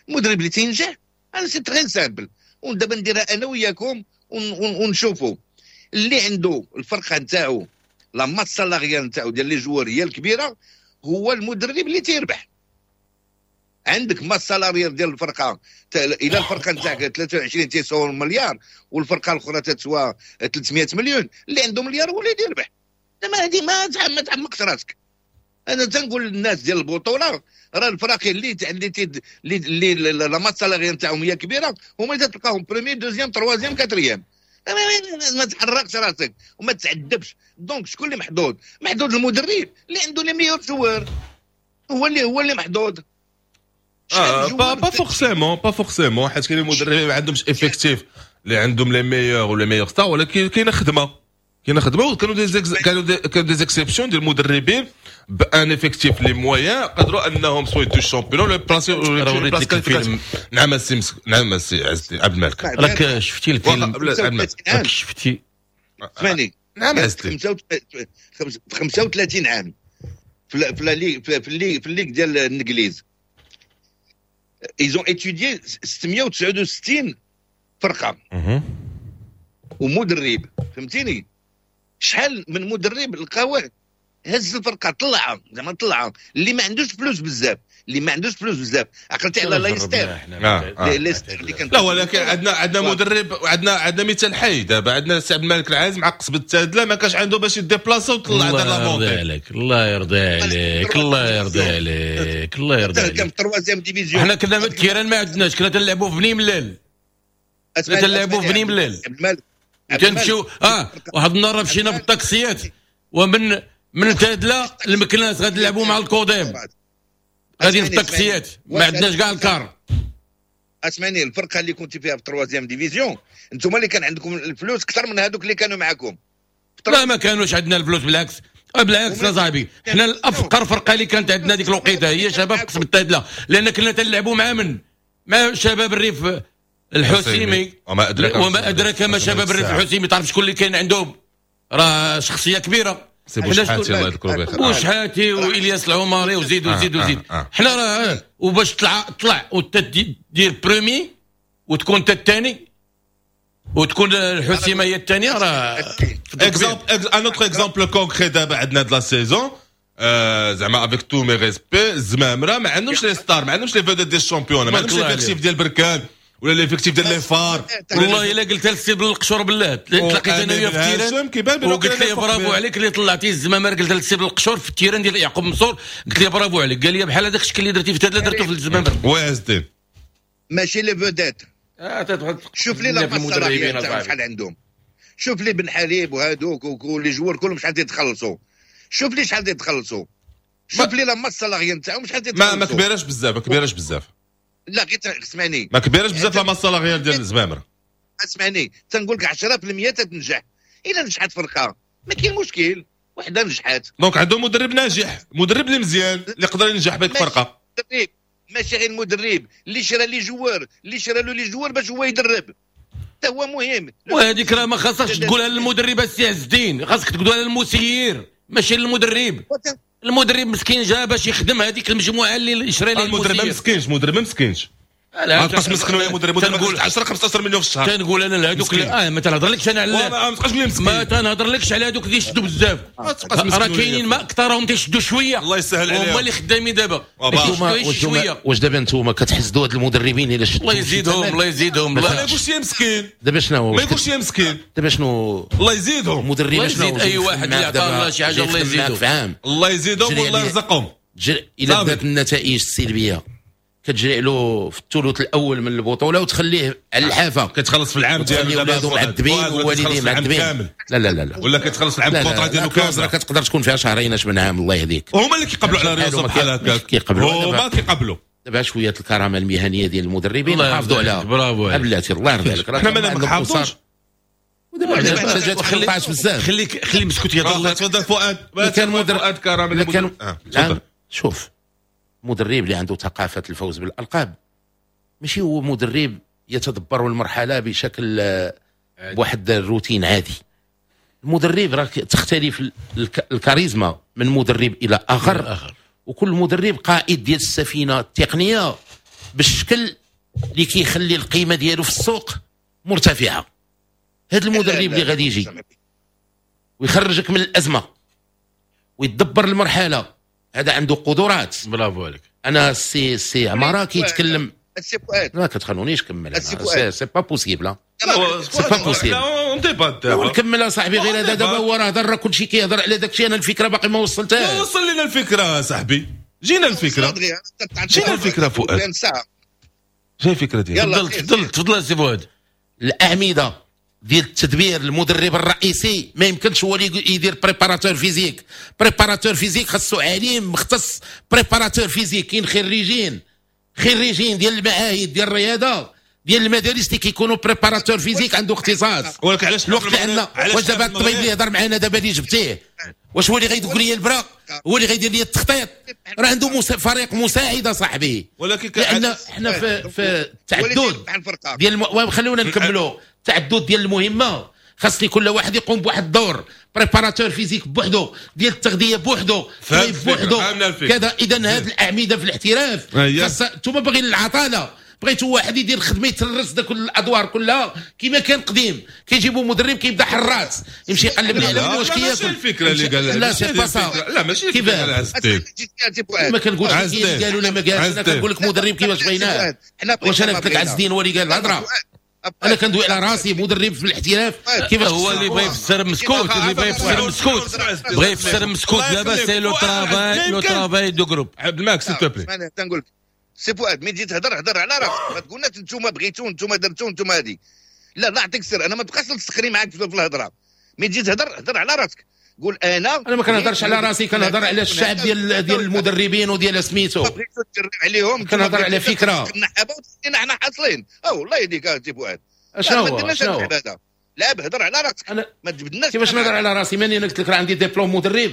Speaker 4: المدرب اللي تينجح انا c'est très simple، ودابا نديرها انا وياكم ونشوفوا اللي عنده الفرقة نتاعو la masse salariale نتاعو ديال les joueurs هي الكبيرة، هو المدرب اللي تيربح. عندك masse salariale ديال الفرقة، الى الفرقة نتاعك 23 تيساو مليار والفرقة الاخرى تتسوى 300 مليون، اللي عنده مليار هو اللي يربح. زعما هذه ما تعمقش راسك. انا تنقول للناس ديال البطولة راه الفراقي اللي اللي la masse salariale نتاعهم هي كبيرة، هما اللي تلقاهم premier deuxième troisième quatrième. ما تحرقش راسك وما تعذبش. donc شكون اللي محظوظ؟ محظوظ المدرب اللي عنده les meilleurs joueurs، هو اللي محظوظ.
Speaker 3: pas forcément، pas forcément، حيت كاين المدربين ما عندهمش effectif اللي عندهم les meilleurs ولا meilleures stars، ولكن كاينه خدمة، كاينه خدمة. وكانوا كانوا des exceptions ديال المدربين ب un effectif les moyens قدروا انهم soit يدوا ال championnat ولا placer place. نعم السي، نعم السي عز عبد الملك،
Speaker 6: راك شفتي الفيلم، راك شفتي.
Speaker 4: اسمعني.
Speaker 3: نعم عز الدين.
Speaker 4: 35 عام في في ال ligue ديال الانجليز، ils ont étudié 669 فرقه ومدرب، فهمتيني؟ شحال من مدرب لقاوه هز الفرقة طلعها، زعما طلعها، اللي ما عندوش فلوس بزاف، اللي ما عندوش فلوس بزاف. عقلتي على لايستر؟ لايستر اللي كان.
Speaker 3: لا ولكن عندنا مدرب، عندنا مثال حي دابا، عندنا سي عبد الملك العزيز مع قصبة التادله ما كانش عنده باش يديبلاصا وطلع دار la montée.
Speaker 6: الله يرضي عليك، الله يرضي عليك، الله يرضي عليك.
Speaker 4: كان في troisième division.
Speaker 6: حنا كنا ال terrain ما عندناش، كنا تنلعبوا في بني ملال، كنا تنلعبوا في بني ملال، تنمشيو واحد النهار مشينا بالطاكسيات ومن تادله المكناس غادي نلعبوا مع الكوديم، غادي في الطاكسيات ما عندناش كاع ال car.
Speaker 4: اسمعني، الفرقة اللي كنت فيها في troisième division انتم اللي كان عندكم الفلوس اكثر من هذوك اللي كانوا معاكم.
Speaker 6: لا ما كانوش عندنا الفلوس، بالعكس بالعكس يا صاحبي، حنا الافقر فرقه اللي كانت عندنا ديك الوقيته هي شباب قصبة التادله، لان كنا تنلعبوا مع من؟ مع شباب الريف الحسيمي، وما ادراك ما شباب الريف الحسيمي. تعرف شكون اللي كان عندهم؟ راه شخصية كبيرة،
Speaker 3: سي بوشحاتي الله يذكره بخير،
Speaker 6: بوشحاتي والياس العمري وزيد وزيد وزيد. حنا راه وباش طلع وتدير premier وتكون انت الثاني وتكون الحسيمه هي الثانية، راه
Speaker 3: exemple un autre exemple concret دابا عندنا هاد la saison، زعما avec tous mes respects، الزمامره ما عندهمش les stars، ما عندهمش les vedettes ديال ال championnat، ما عندهمش l'effectif ديال بركان ولا l'effectif ديال les FAR.
Speaker 6: والله الا قلتها للسي بالقشور بالله، تلاقيت انا وياه في ال terrain وقلت ليه برافو عليك اللي طلعتي الزمامر، قلت للسي بالقشور في ال terrain ديال يعقوب منصور، قلت ليه برافو عليك، قال لي بحال هذاك الشكل اللي درتي في تادله درتو في الزمامر.
Speaker 3: وازدين
Speaker 4: ماشي les vedettes. شوف لي la masse salariale شحال عندهم، شوف لي بن حليب وهذوك و les joueurs كلهم شحال تيتخلصوا، شوف لي شحال تيتخلصوا، شوف لي la masse salariale نتاعهم شحال تيتخلصوا.
Speaker 3: ما كبيراش بزاف، ما كبيراش بزاف.
Speaker 4: لا غير اسمعني،
Speaker 3: ما كبيراش بزاف la masse salariale ديال الزمامر.
Speaker 4: اسمعني تنقول لك 10% تتنجح، الا نجحت فرقه ما كاين مشكل، وحده نجحت.
Speaker 3: donc عندهم مدرب ناجح، مدرب اللي مزيان اللي يقدر ينجح بك فرقه.
Speaker 4: ماشي غير المدرب اللي شرا les joueurs، اللي شرا له les joueurs باش هو يدرب، حتى هو مهم.
Speaker 6: وهذيك راه ما خاصكش تقولها للمدرب السي عز الدين، خاصك تقولها للمسير ماشي للمدرب. المدرب مسكين جا باش يخدم هذيك المجموعة اللي شرا ليه
Speaker 3: المدرب. ما مسكينش، المدرب ما مسكينش. ما تبقاش مسكين يا مدرب، تنقول 10 15 مليون في الشهر.
Speaker 6: تنقول انا لهذوك ما تنهضرلكش انا على ما تنهضرلكش على هذوك اللي يشدوا بزاف، راه كاينين ما اكثرهم تيشدوا شوية،
Speaker 3: الله يسهل عليهم،
Speaker 6: هما اللي خدامين دابا.
Speaker 5: واش دابا انتوما كتحسدوا هاد المدربين الا شدوا؟
Speaker 6: الله يزيدهم، الله يزيدهم.
Speaker 3: ما يقولش يا مسكين
Speaker 5: دابا شنو،
Speaker 3: ما يقولش يا مسكين
Speaker 5: دابا شنو،
Speaker 3: الله يزيدهم
Speaker 5: المدرب شنو،
Speaker 6: اي واحد اللي عطاه الله شي حاجة الله يزيدهم،
Speaker 3: الله يزيدهم والله يرزقهم.
Speaker 5: الا بدات النتائج السلبية كتجري له في الثلث الاول من البطولة وتخليه على الحافة،
Speaker 3: كتخلص في العام ديالو
Speaker 5: دابا معذبين ووالديه معذبين. لا لا لا لا،
Speaker 3: ولا كتخلص العام ال contrat ديالو كامل،
Speaker 5: راه كتقدر تكون فيها شهرين اش من عام، الله يهديك.
Speaker 3: هما اللي كيقبلوا على ريوسهم بحال هكاك،
Speaker 5: كيقبلوا،
Speaker 3: هما كيقبلوا.
Speaker 5: دابا شوية الكرامة المهنية ديال المدربين حافظوا عليها.
Speaker 6: برافو
Speaker 5: بلاتي، الله يرضي عليك.
Speaker 3: حنا ما نحافظوش
Speaker 5: ودابا جات 15 بزاف.
Speaker 6: خليك خلي مسكوت يهضر.
Speaker 3: تفضل فؤاد.
Speaker 5: كان مدرب
Speaker 3: فؤاد كرامة.
Speaker 5: شوف، مدرب اللي عنده ثقافة الفوز بالألقاب ماشي هو مدرب يتدبر المرحلة بشكل بواحد الروتين عادي. المدرب راه تختلف الكاريزما من مدرب إلى آخر، وكل مدرب قائد ديال السفينة التقنية بالشكل اللي كيخلي القيمة ديالو في السوق مرتفعة. هذا المدرب اللي غادي يجي ويخرجك من الأزمة ويتدبر المرحلة، هذا عنده قدرات.
Speaker 6: برافو عليك.
Speaker 5: انا سي عمارة كيتكلم،
Speaker 4: السي فؤاد
Speaker 5: ما كتخلونيش نكمل، c'est pas possible، c'est pas possible.
Speaker 3: on débat دابا
Speaker 5: نكمل اصاحبي، غير هذا دابا هو راه هضر، كلشي كيهضر على داك الشيء، انا الفكرة باقي ما وصلتهاش.
Speaker 3: وصل لنا الفكرة صاحبي، جينا الفكرة، جينا الفكرة فؤاد، جاي الفكرة ديالك.
Speaker 6: تفضل تفضل سي فؤاد.
Speaker 5: الاعمدة ديال التدبير، المدرب الرئيسي ما يمكنش هو اللي يدير préparateur physique. préparateur physique خاصو عليم مختص préparateur physique. كاين خريجين ديال المعاهد ديال الرياضة ديال المدارس اللي كيكونوا préparateur physique عنده اختصاص.
Speaker 3: ولكن علاش
Speaker 5: الوقت اللي عندنا؟ واش دابا الطبيب اللي يهضر معنا دابا اللي جبتيه واش هو اللي غيدق لي البرا، هو اللي غيدير لي التخطيط؟ راه عنده فريق مساعد صاحبي.
Speaker 3: ولكن
Speaker 5: لان حنا في التعدد ديال خلونا نكملوا التعدد ديال المهمة، خاصني كل واحد يقوم بواحد الدور، préparateur physique بوحدو، ديال التغذية بوحدو، طبيب بوحدو، كذا. اذا هذه الاعمدة في الاحتراف خاص. انتم باغيين العطاله، بغيتوا واحد يدير خدمة يترس داك الادوار كلها كما كان قديم، كيجيبوا مدرب كيبدا حراس يمشي يقلب لي على واش كياكل.
Speaker 3: ماشي الفكرة اللي قال،
Speaker 5: لا c'est pas ça،
Speaker 3: لا ماشي الفكرة.
Speaker 5: ما كنقولش قال ولا ما قالش، انا كنقول لك مدرب كيفاش بغيناه. واش انا قلت لك عز الدين هو اللي قال الهضرة؟ انا كندوي على راسي مدرب في الاحتراف كيفاش
Speaker 6: هو اللي بغى يفسر مسكوت، اللي بغى يفسر مسكوت، بغى يفسر مسكوت. دابا c'est le travail، le travail de groupe.
Speaker 3: عبد الماك s'il te plaît،
Speaker 4: تنقول لك سي فؤاد ملي تجي تهضر هضر على راسك، ما تقولناش انتوما بغيتو انتوما درتو انتوما هادي. لا لا نعطيك السر، انا ما تبقاش تسخري معاك في الهضرة. ملي تجي تهضر هضر على راسك، قول انا
Speaker 5: ما كنهضرش على راسي، كنهضر على الشعب ديال المدربين وديال سميتو،
Speaker 4: بغيتو تجرب عليهم،
Speaker 5: كنهضر على فكرة
Speaker 4: حنا حاصلين. الله يهديك سي فؤاد،
Speaker 5: اشنو هو
Speaker 4: لا هضر على راسك، ما تجبدناش.
Speaker 5: كيفاش نهضر على راسي؟ ماني انا قلت لك راه عندي ديبلوم مدرب،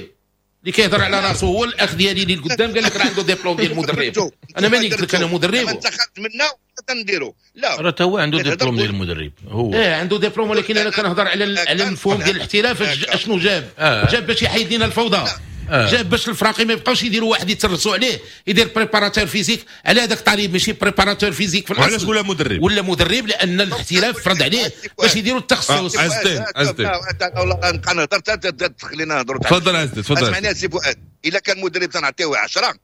Speaker 5: اللي كيهضر على راسو هو الاخ ديالي اللي قدام قال لك راه عنده ديبلوم ديال المدرب. انا ماني قلت لك انا مدرب،
Speaker 4: انت خرجت منا تنديرو. لا
Speaker 6: راه هو عنده ديبلوم ديال المدرب هو،
Speaker 5: ايه عنده ديبلوم، ولكن انا كنهضر على المفهوم ديال الاحتراف. اشنو جاب؟ جاب باش يحيد لنا الفوضى، جاب باش الفراقي ما يبقاوش يديروا واحد يترسوا عليه يدير préparateur physique على هذاك طالب، ماشي préparateur physique في الاصل.
Speaker 3: علاش ولا مدرب؟
Speaker 5: ولا مدرب لان الاحتراف فرض عليه باش يديروا التخصص.
Speaker 3: عزتين عزتين
Speaker 4: والله نبقى نهضر حتى تخلينا نهضروا.
Speaker 3: تفضل عزتين تفضل.
Speaker 4: اسمعني سي فؤاد، الا كان مدرب تنعطيوه 10،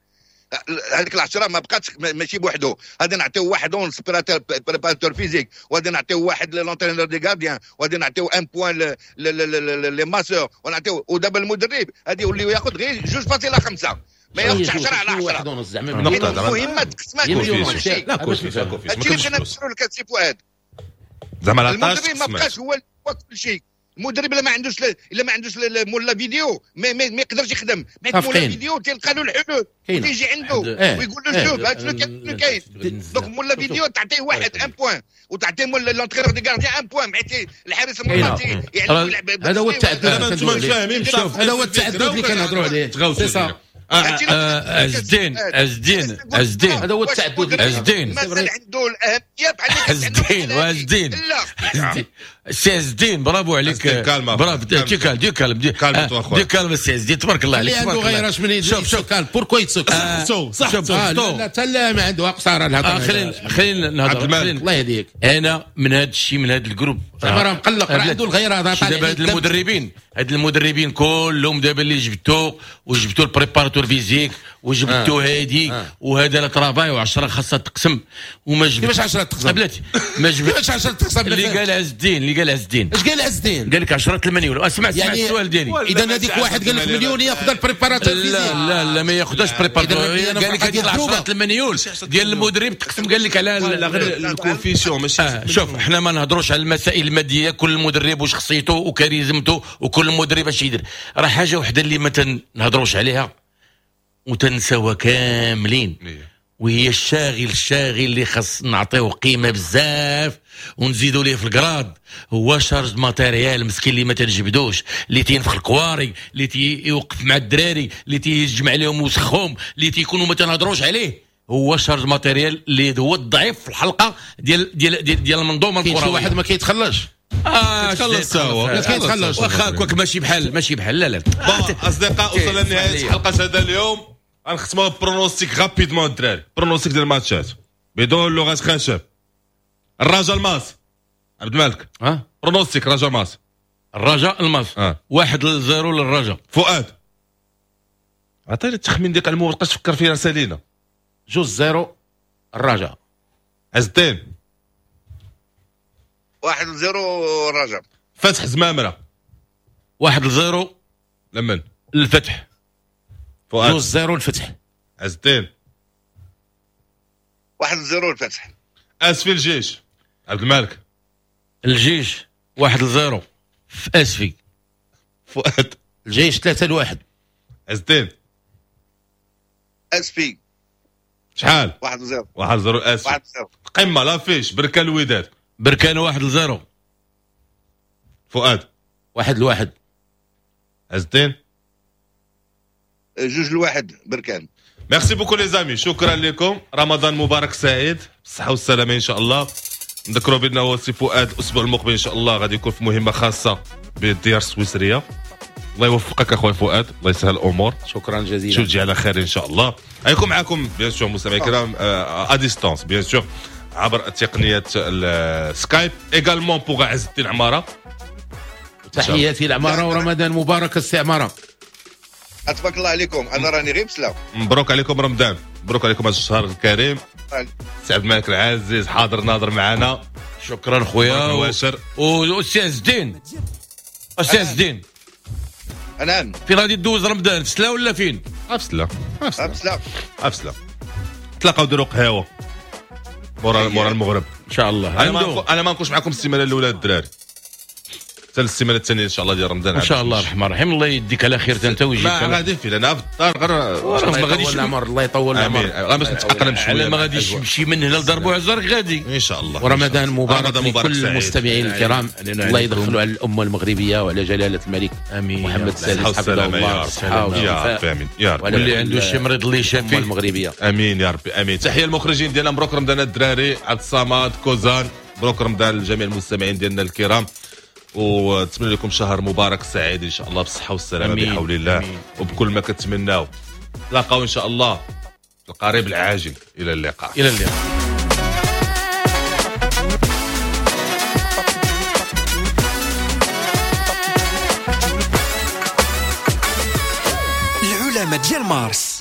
Speaker 4: هذيك العشرة ما بقاتش ماشي بوحدو، غادي نعطيو واحد ونص préparateur physique، وغادي نعطيو واحد l'entraîneur des gardiens، وغادي نعطيو un point les masseurs، ونعطيو. ودابا المدرب غادي يولي ياخذ غير 2.5، ما ياخذش 10 على 10. المهمة تقسمات.
Speaker 3: لا كلشي
Speaker 4: هادشي اللي بغينا نفسروا لك سي فؤاد،
Speaker 3: زعما
Speaker 4: المدرب ما بقاش هو كل شيء. المدرب الا ما عندوش الا ما عندوش مول la vidéo ما يقدرش يخدم. حيت مول la vidéo تلقى له الحلول تيجي عنده ويقول له شوف هاد شنو كاين. donc مول la vidéo تعطيه واحد un point، وتعطيه مول l'entraîneur des gardiens un point، حيت الحارس المرمى يعني
Speaker 5: هذا هو التعدد.
Speaker 3: انتم فاهمين؟
Speaker 5: هذا هو التعدد اللي كنهضروا عليه.
Speaker 6: عز الدين عز الدين
Speaker 5: هذا هو التعدد.
Speaker 6: عز الدين
Speaker 4: مازال عنده الاهمية بحال
Speaker 6: عز الدين وعز الدين سي عز الدين برافو عليك، برافو. du calme du calme du calme سي عز الدين، تبارك الله عليك.
Speaker 5: اللي عنده غيراش من
Speaker 6: شوف شوف
Speaker 5: calme pourquoi يتسك
Speaker 3: صحته صحته.
Speaker 5: لا حتى لا ما عنده قصاره
Speaker 6: الهضرة. خلينا نهضر.
Speaker 5: الله يهديك.
Speaker 6: انا من هذا الشيء من هذا ال groupe
Speaker 5: زعما راه مقلق، راه عنده الغيرة. هذا
Speaker 6: دابا هاد المدربين كلهم دابا اللي جبتو، وجبتو ال préparateur physique، وجبتو هادي وهذا le travail، و10 خاصها تقسم. وما جبت
Speaker 5: كيفاش 10 تقسم؟
Speaker 6: بلاتي ما جبت
Speaker 5: كيفاش 10 تقسم؟
Speaker 6: اللي قال عز الدين، اللي قال عز الدين،
Speaker 5: اش قال عز الدين؟
Speaker 6: قال لك 10 المليون. اسمع اسمع
Speaker 5: يعني
Speaker 6: السؤال ديالي.
Speaker 5: اذا هذيك واحد قال لك مليون ياخذ ال préparateur
Speaker 6: physique. لا لا ما ياخذهاش préparateur. قال لك هذيك 10 المليون ديال المدرب تقسم. قال لك على
Speaker 3: غير ال coefficient ماشي.
Speaker 6: شوف احنا ما نهضروش على المسائل المادية، كل مدرب وشخصيته وكاريزمته وكل مدرب اش يدير. راه حاجة وحده اللي ما تنهضروش عليها وتنساوها كاملين، وهي الشاغل اللي خاص نعطيوه قيمة بزاف ونزيدوا ليه في ال grade، هو chargé matériel مسكين اللي ما تنجبدوش، اللي تينفخ الكواري، اللي تيوقف مع الدراري، اللي تيجمع لهم وسخهم، اللي تيكونوا ما تنهضروش عليه. هو chargé matériel اللي هو الضعيف في الحلقة ديال ديال ديال, ديال المنظومة الكروية.
Speaker 5: كاين شي واحد ما كيتخلصش.
Speaker 3: كيتخلص هو،
Speaker 5: كيتخلص
Speaker 6: واخا كواك ماشي بحال لا لا.
Speaker 3: bon اصدقاء، وصلنا لنهاية حلقة هذا اليوم. غنختموا pronostic rapidement الدراري، pronostic ديال الماتشات بدون لغة خشب. الرجاء الماس، عبد الملك pronostic رجاء الماس.
Speaker 6: الرجاء الماس 1-0 للرجاء.
Speaker 3: فؤاد عطيني التخمين ديالك على المو، بقاش تفكر فيها سالينا.
Speaker 5: 2-0 الرجاء.
Speaker 3: عز الدين
Speaker 4: 1-0 الرجاء.
Speaker 3: فتح زمامرة
Speaker 6: 1-0
Speaker 3: لمن؟
Speaker 6: الفتح.
Speaker 3: فؤاد
Speaker 5: 2-0 الفتح.
Speaker 3: عز الدين
Speaker 4: 1-0 الفتح.
Speaker 3: اسفي الجيش، عبد الملك.
Speaker 6: الجيش 1-0 في اسفي.
Speaker 3: فؤاد
Speaker 5: الجيش 3-1.
Speaker 3: عز الدين
Speaker 4: اسفي
Speaker 3: شحال؟
Speaker 4: 1-0.
Speaker 3: 1-0 اسفي.
Speaker 4: 1-0.
Speaker 3: قمة l'affiche بركان الوداد.
Speaker 6: بركان 1-0.
Speaker 3: فؤاد
Speaker 5: 1-1.
Speaker 3: عز الدين
Speaker 4: 2-1 بركان.
Speaker 3: merci beaucoup les amis، شكرا لكم. رمضان مبارك سعيد، بالصحة والسلامة ان شاء الله. نذكروا بان هو سي فؤاد الاسبوع المقبل ان شاء الله غادي يكون في مهمة خاصة بالديار السويسريه. الله يوفقك اخويا فؤاد، الله يسهل الامور.
Speaker 5: شكرا جزيلا،
Speaker 3: شو تجي على خير ان شاء الله. غيكون معكم bien sûr مستمعي الكرام à distance bien sûr عبر تقنية السكايب également pour عز الدين عمارة.
Speaker 5: تحياتي العمارة ورمضان مبارك السي عمارة.
Speaker 4: اتبارك الله عليكم، انا راني غير بسلام.
Speaker 3: مبروك عليكم رمضان، مبروك عليكم هذا الشهر الكريم. سي عبد الملك العزيز حاضر ناظر معنا،
Speaker 6: شكرا خويا. والسي عز الدين، السي عز الدين
Speaker 4: نعم،
Speaker 6: فين غادي دوز رمضان؟ في سلا ولا فين؟
Speaker 3: في سلا. في سلا تلاقاو ديروا قهوة مورا المغرب
Speaker 6: ان شاء الله.
Speaker 3: انا ما نكونش معكم السيمانة الاولى الدراري، حتى السيمانة الثانية ان شاء الله ديال رمضان
Speaker 6: ان شاء الله. الرحمن الرحيم. الله يديك على خير انت ويجيك.
Speaker 3: ما غادي فين انا في الدار غير
Speaker 6: ما غاديش
Speaker 5: العمر. الله يطول العمر.
Speaker 3: غير باش نتاقلم شوية.
Speaker 6: ما غاديش نمشي من هنا لدار بوعزار غادي
Speaker 3: ان شاء الله.
Speaker 5: ورمضان مبارك لكل المستمعين الكرام. الله يدخلوا على الامة المغربية وعلى جلاله الملك محمد السادس حفظه الله
Speaker 3: الصحة والعافية. امين يا رب.
Speaker 6: واللي عنده شي مريض اللي يشافيه
Speaker 5: المغربية.
Speaker 3: امين يا ربي امين. تحية المخرجين ديالنا، مبروك رمضان الدراري، عبد الصمد كوزان، مبروك رمضان لجميع المستمعين ديالنا الكرام، ونتمنى لكم شهر مبارك سعيد ان شاء الله بالصحة والسلامة بحول الله. أمين. وبكل ما كتمناو. تلاقاو ان شاء الله في القريب العاجل. الى اللقاء.
Speaker 6: الى اللقاء.
Speaker 2: العلماء ديال مارس.